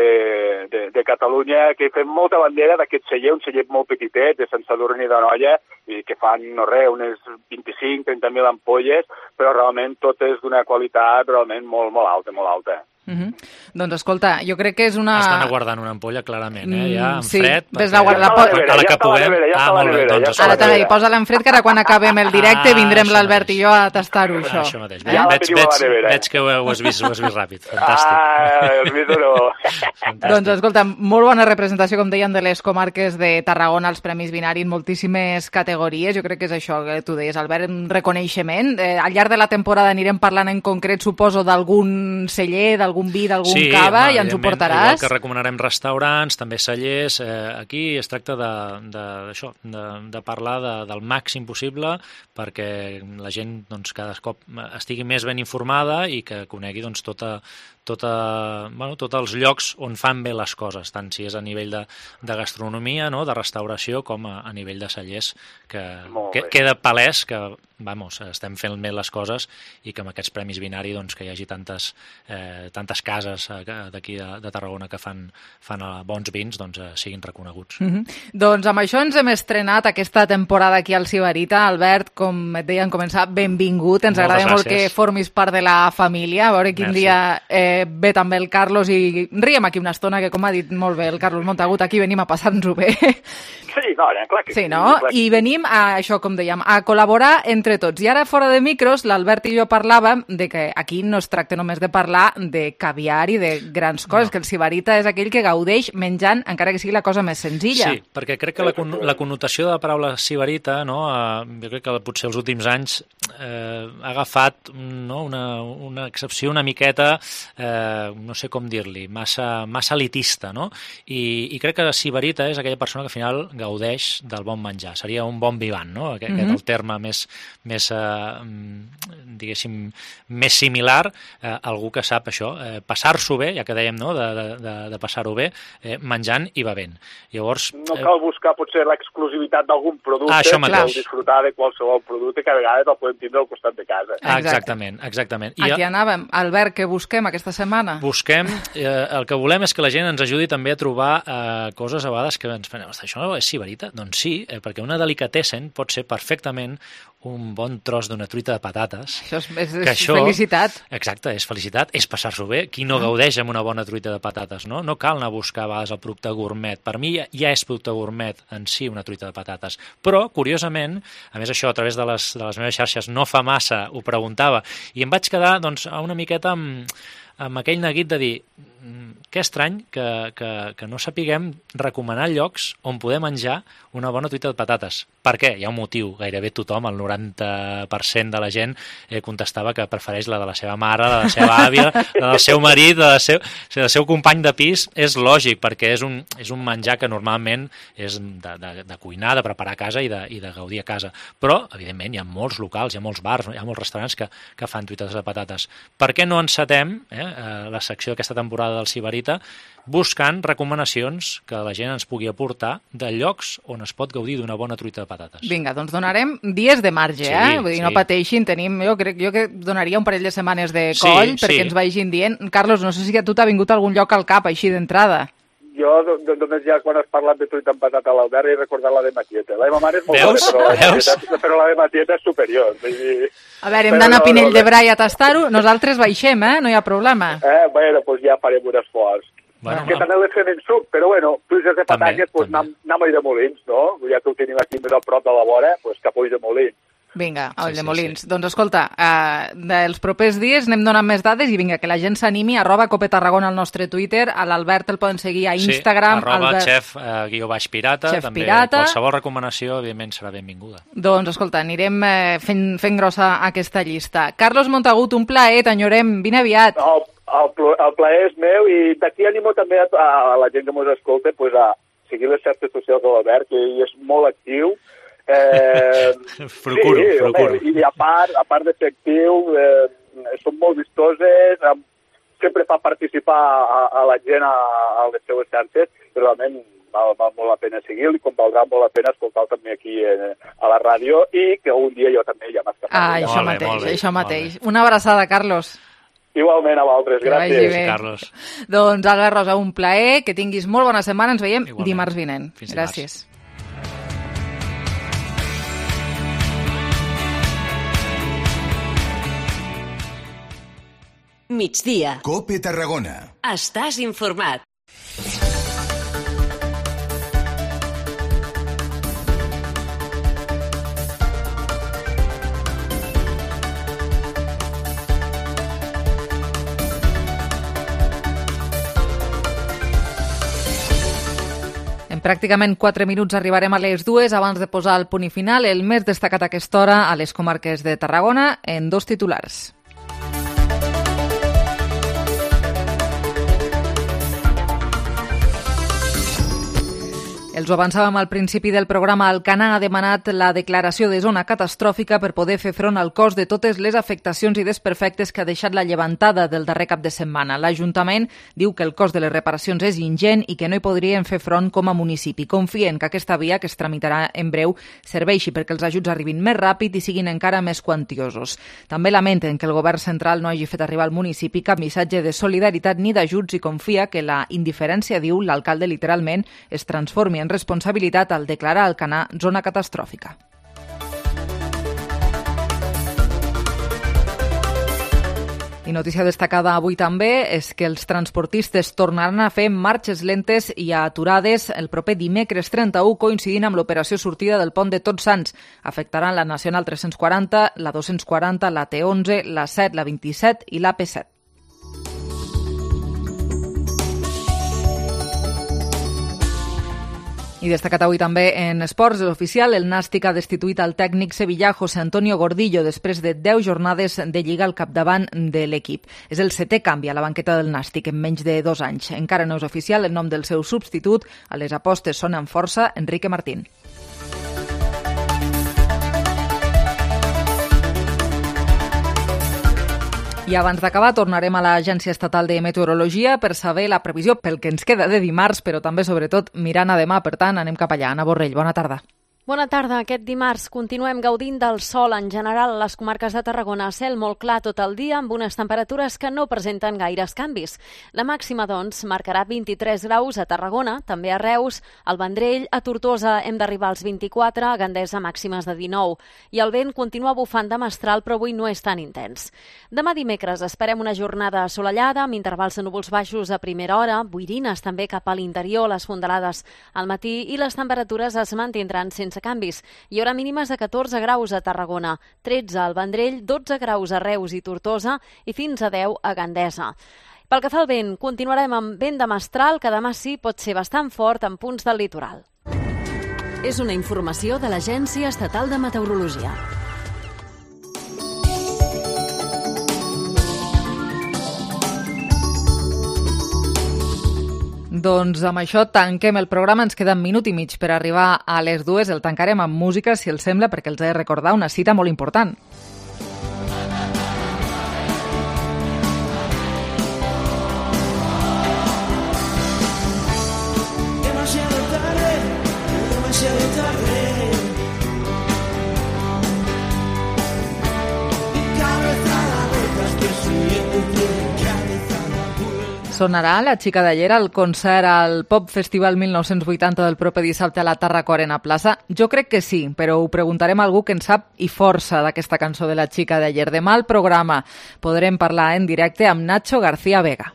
de, de Catalunya, que fem molta bandera d'aquest celler, un celler molt petitet, de Sant Sadurní d'Anoia, i que fan, no res, unes vint-i-cinc a trenta mil ampolles, però realment tot és d'una qualitat realment molt, molt alta, molt alta. Mm-hmm. Doncs escolta, jo crec que és una... Estan aguardant una ampolla, clarament, eh? Ja en sí, fred, perquè... la, la, la, a la que puguem... Ah, molt bé, doncs... Ara t'anava, posa-la en fred, que ara quan acabem el directe ah, vindrem l'Albert i jo a tastar-ho, això. Això mateix. Eh? Veig, veig, veig que ho, ho, has vist, ho has vist ràpid. Fantàstic. Ah, el vist no. Doncs escolta, molt bona representació, com deien, de les comarques de Tarragona, els Premis Binari en moltíssimes categories. Jo crec que és això que tu deies, Albert, un reconeixement. Eh, al llarg de la temporada anirem parlant en concret, suposo, d'algun celler, d'algun vi, d'algun sí, cava, home, i ens ho portaràs. Igual que recomanarem restaurants, també cellers. Eh, aquí es tracta de, de, d'això, de, de parlar de, del màxim possible perquè la gent doncs, cada cop estigui més ben informada i que conegui doncs, tota, tota, bueno, tots els llocs on fan bé les coses, tant si és a nivell de, de gastronomia, no?, de restauració, com a, a nivell de cellers, que, que queda palès que vamos, estem fent bé les coses i que amb aquests Premis Binari doncs, que hi hagi tantes, eh, tantes cases d'aquí de, de Tarragona que fan, fan bons vins doncs, eh, siguin reconeguts. Mm-hmm. Doncs amb això ens hem estrenat aquesta temporada aquí al Sibarita. Albert, com et deien començar, benvingut. Ens Moltes agrada gràcies. Molt que formis part de la família. A veure quin Merci. dia eh, ve també el Carlos i riem aquí una estona, que com ha dit molt bé el Carlos Montagut, aquí venim a passar-nos-ho bé. Sí, no, clar que sí. Sí, no? I venim a això, com dèiem, a col·laborar entre tots. I ara, fora de micros, l'Albert i jo parlàvem de que aquí no es tracta només de parlar de caviar i de grans coses, no. que el sibarita és aquell que gaudeix menjant, encara que sigui la cosa més senzilla. Sí, perquè crec que la, con la connotació de la paraula sibarita, no, eh, jo crec que potser els últims anys eh, ha agafat no, una, una excepció una miqueta, eh, no sé com dir-li, massa, massa elitista, no? I, i crec que sibarita és aquella persona que al final gaudeix del bon menjar. Seria un bon vivant, no? Aquest mm-hmm. el terme més, més eh, diguéssim, més similar a eh, algú que sap això, eh, passar-s'ho bé, ja que dèiem, no?, de, de, de passar-ho bé, eh, menjant i bevent. Llavors... No cal buscar potser l'exclusivitat d'algun producte, ah, cal disfrutar de qualsevol producte que a vegades el podem tindre al costat de casa. Exactament, exactament. I aquí anàvem. Albert, què busquem aquesta setmana? Busquem, eh, el que volem és que la gent ens ajudi també a trobar eh, coses a vegades que ens fan, això és sibarita? Doncs sí, eh, perquè una delicatessen pot ser perfectament un bon tros d'una truita de patates. Això és, és, és això, felicitat. Exacte, és felicitat, és passar-s'ho bé. Qui no gaudeix amb una bona truita de patates, no? No cal anar a buscar a vegades el producte gourmet. Per mi ja, ja és producte gourmet en si una truita de patates. Però, curiosament, a més això a través de les, de les meves xarxes no fa massa, ho preguntava, i em vaig quedar doncs, una miqueta amb, amb aquell neguit de dir que estrany que, que, que no sapiguem recomanar llocs on poder menjar una bona truita de patates. Per què? Hi ha un motiu. Gairebé tothom, el noranta per cent de la gent, eh, contestava que prefereix la de la seva mare, la de la seva àvia, la del seu marit, la del seu, del seu company de pis. És lògic, perquè és un, és un menjar que normalment és de, de, de cuinar, de preparar a casa i de, i de gaudir a casa. Però, evidentment, hi ha molts locals, hi ha molts bars, hi ha molts restaurants que, que fan truites de patates. Per què no encetem eh, la secció d'aquesta temporada del Sibarita buscant recomanacions que la gent ens pugui aportar de llocs on es pot gaudir d'una bona truita de patates? Vinga, doncs donarem dies de marge, sí, eh? Vull dir, sí. No pateixin, tenim, jo crec jo que donaria un parell de setmanes de coll sí, perquè sí. ens vagin dient. Carlos, no sé si a tu t'ha vingut algun lloc al cap així d'entrada. Jo només ja quan has parlat de truita amb patata a l'Albert he recordat la de Matieta. La de ma mare és molt Veus? bona, però la, Veus? Matieta, però la de Matieta és superior. Dir... A veure, hem d'anar a Pinell no, no, de Brai a tastar-ho. Nosaltres baixem, eh? No hi ha problema. Eh, bueno, doncs pues ja farem un esforç. Bueno, que també les fem en suc, però bueno, truites de patates, doncs pues, anem, anem a Ulldemolins, no? Ja que ho tenim aquí més a prop de la vora, doncs pues cap a Ulldemolins. Vinga, a Sí, sí, Ulldemolins. Sí. Doncs escolta, uh, dels propers dies anem donant més dades i vinga, que la gent s'animi, arroba Cope Tarragona al nostre Twitter, a l'Albert el poden seguir a Instagram. Sí, arroba Albert... xef eh, guió baix pirata, Xef també pirata. Qualsevol recomanació, evidentment, serà benvinguda. Doncs escolta, anirem eh, fent, fent grossa aquesta llista. Carlos Montagut, un plaer, t'enyorem, vine aviat. El, el, el plaer és meu i d'aquí animo també a, a la gent que mos escolta pues, a seguir les xarxes socials de l'Albert, que ell és molt actiu. Eh, procuro, sí, procuro. Home, I a part, a part de ser actiu, eh, són molt vistoses, eh, sempre fa participar a, a la gent a, a les seues xarxes, i realment val, val molt la pena seguir-lo i com valdrà molt la pena escoltar-lo també aquí eh, a la ràdio i que un dia jo també ja m'escaparé. Ah, això molt mateix, bé, bé, això mateix. Una abraçada, Carlos. Igualment a vosaltres, gràcies. Bé. Carlos. Doncs Albert Rosa, un plaer, que tinguis molt bona setmana, ens veiem Igualment. dimarts vinent. Fins gràcies. Dimarts. Migdia. Cope Tarragona. Estàs informat. En pràcticament quatre minuts arribarem a les dues. Abans de posar el punt i final, el més destacat a aquesta hora a les comarques de Tarragona en dos titulars. Els ho avançàvem al principi del programa. Alcanar ha demanat la declaració de zona catastròfica per poder fer front al cost de totes les afectacions i desperfectes que ha deixat la llevantada del darrer cap de setmana. L'Ajuntament diu que el cost de les reparacions és ingent i que no hi podrien fer front com a municipi. Confien que aquesta via, que es tramitarà en breu, serveixi perquè els ajuts arribin més ràpid i siguin encara més quantiosos. També lamenten que el govern central no hagi fet arribar al municipi cap missatge de solidaritat ni d'ajuts i confia que la indiferència, diu l'alcalde literalment, es transformi en responsabilitat al declarar Alcanar zona catastròfica. I notícia destacada avui també és que els transportistes tornaran a fer marxes lentes i aturades el proper dimecres trenta-u, coincidint amb l'operació sortida del pont de Tots Sants. Afectaran la Nacional tres-cents quaranta, la dos-cents quaranta, la T onze, la set, la vint-i-set i la P set. I destacat avui també en esports, l'oficial, el Nàstic ha destituït el tècnic sevillà José Antonio Gordillo després de deu jornades de Lliga al capdavant de l'equip. És el setè canvi a la banqueta del Nàstic en menys de dos anys. Encara no és oficial el nom del seu substitut. A les apostes sonen força Enrique Martín. I abans d'acabar tornarem a l'Agència Estatal de Meteorologia per saber la previsió pel que ens queda de dimarts, però també, sobretot, mirant a demà. Per tant, anem cap allà. Anna Borrell, bona tarda. Bona tarda. Aquest dimarts continuem gaudint del sol en general a les comarques de Tarragona. Cel molt clar tot el dia, amb unes temperatures que no presenten gaires canvis. La màxima, doncs, marcarà vint-i-tres graus a Tarragona, també a Reus, al Vendrell, a Tortosa hem d'arribar als vint-i-quatre, a Gandesa màximes de dinou. I el vent continua bufant de mestral, però avui no és tan intens. Demà dimecres esperem una jornada assolellada, amb intervals de núvols baixos a primera hora, boirines també cap a l'interior, les fondalades al matí, i les temperatures es mantindran sense canvis. Hi haurà mínimes de catorze graus a Tarragona, tretze al Vendrell, dotze graus a Reus i Tortosa i fins a deu a Gandesa. Pel que fa al vent, continuarem amb vent de mestral, que demà sí pot ser bastant fort en punts del litoral. És una informació de l'Agència Estatal de Meteorologia. Doncs amb això tanquem el programa. Ens queda un minut i mig per arribar a les dues. El tancarem amb música, si els sembla, perquè els he de recordar una cita molt important. Demasiado tarde, demasiado tarde. Mi cabeza da vueltas, que soy Sonarà La xica d'ayer al concert al Pop Festival mil nou-cents vuitanta del proper dissabte a la Tarraco Arena Plaça? Jo crec que sí, però ho preguntarem a algú que en sap i força d'aquesta cançó de La xica d'ayer. Demà al programa podrem parlar en directe amb Nacho García Vega.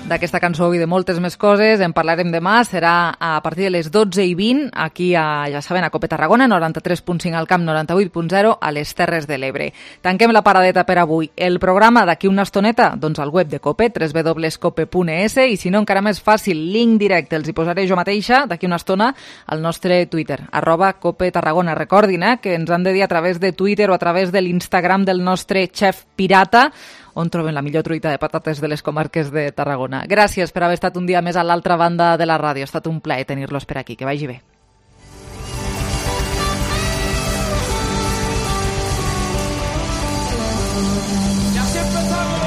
D'aquesta cançó i de moltes més coses en parlarem demà. Serà a partir de les dotze i vint, aquí a, ja saben, a Cope Tarragona, noranta-tres punt cinc al Camp, noranta-vuit punt zero a les Terres de l'Ebre. Tanquem la paradeta per avui. El programa d'aquí una estoneta, doncs al web de Cope, w w w punt cope punt e s, i si no encara més fàcil, link directe, els hi posaré jo mateixa d'aquí una estona al nostre Twitter, arroba Cope Tarragona. Recordin eh, que ens han de dir a través de Twitter o a través de l'Instagram del nostre xef pirata on troben la millor truita de patates de les comarques de Tarragona. Gràcies per haver estat un dia més a l'altra banda de la ràdio. Ha estat un plaer tenir-los per aquí. Que vagi bé. Ya se empezó.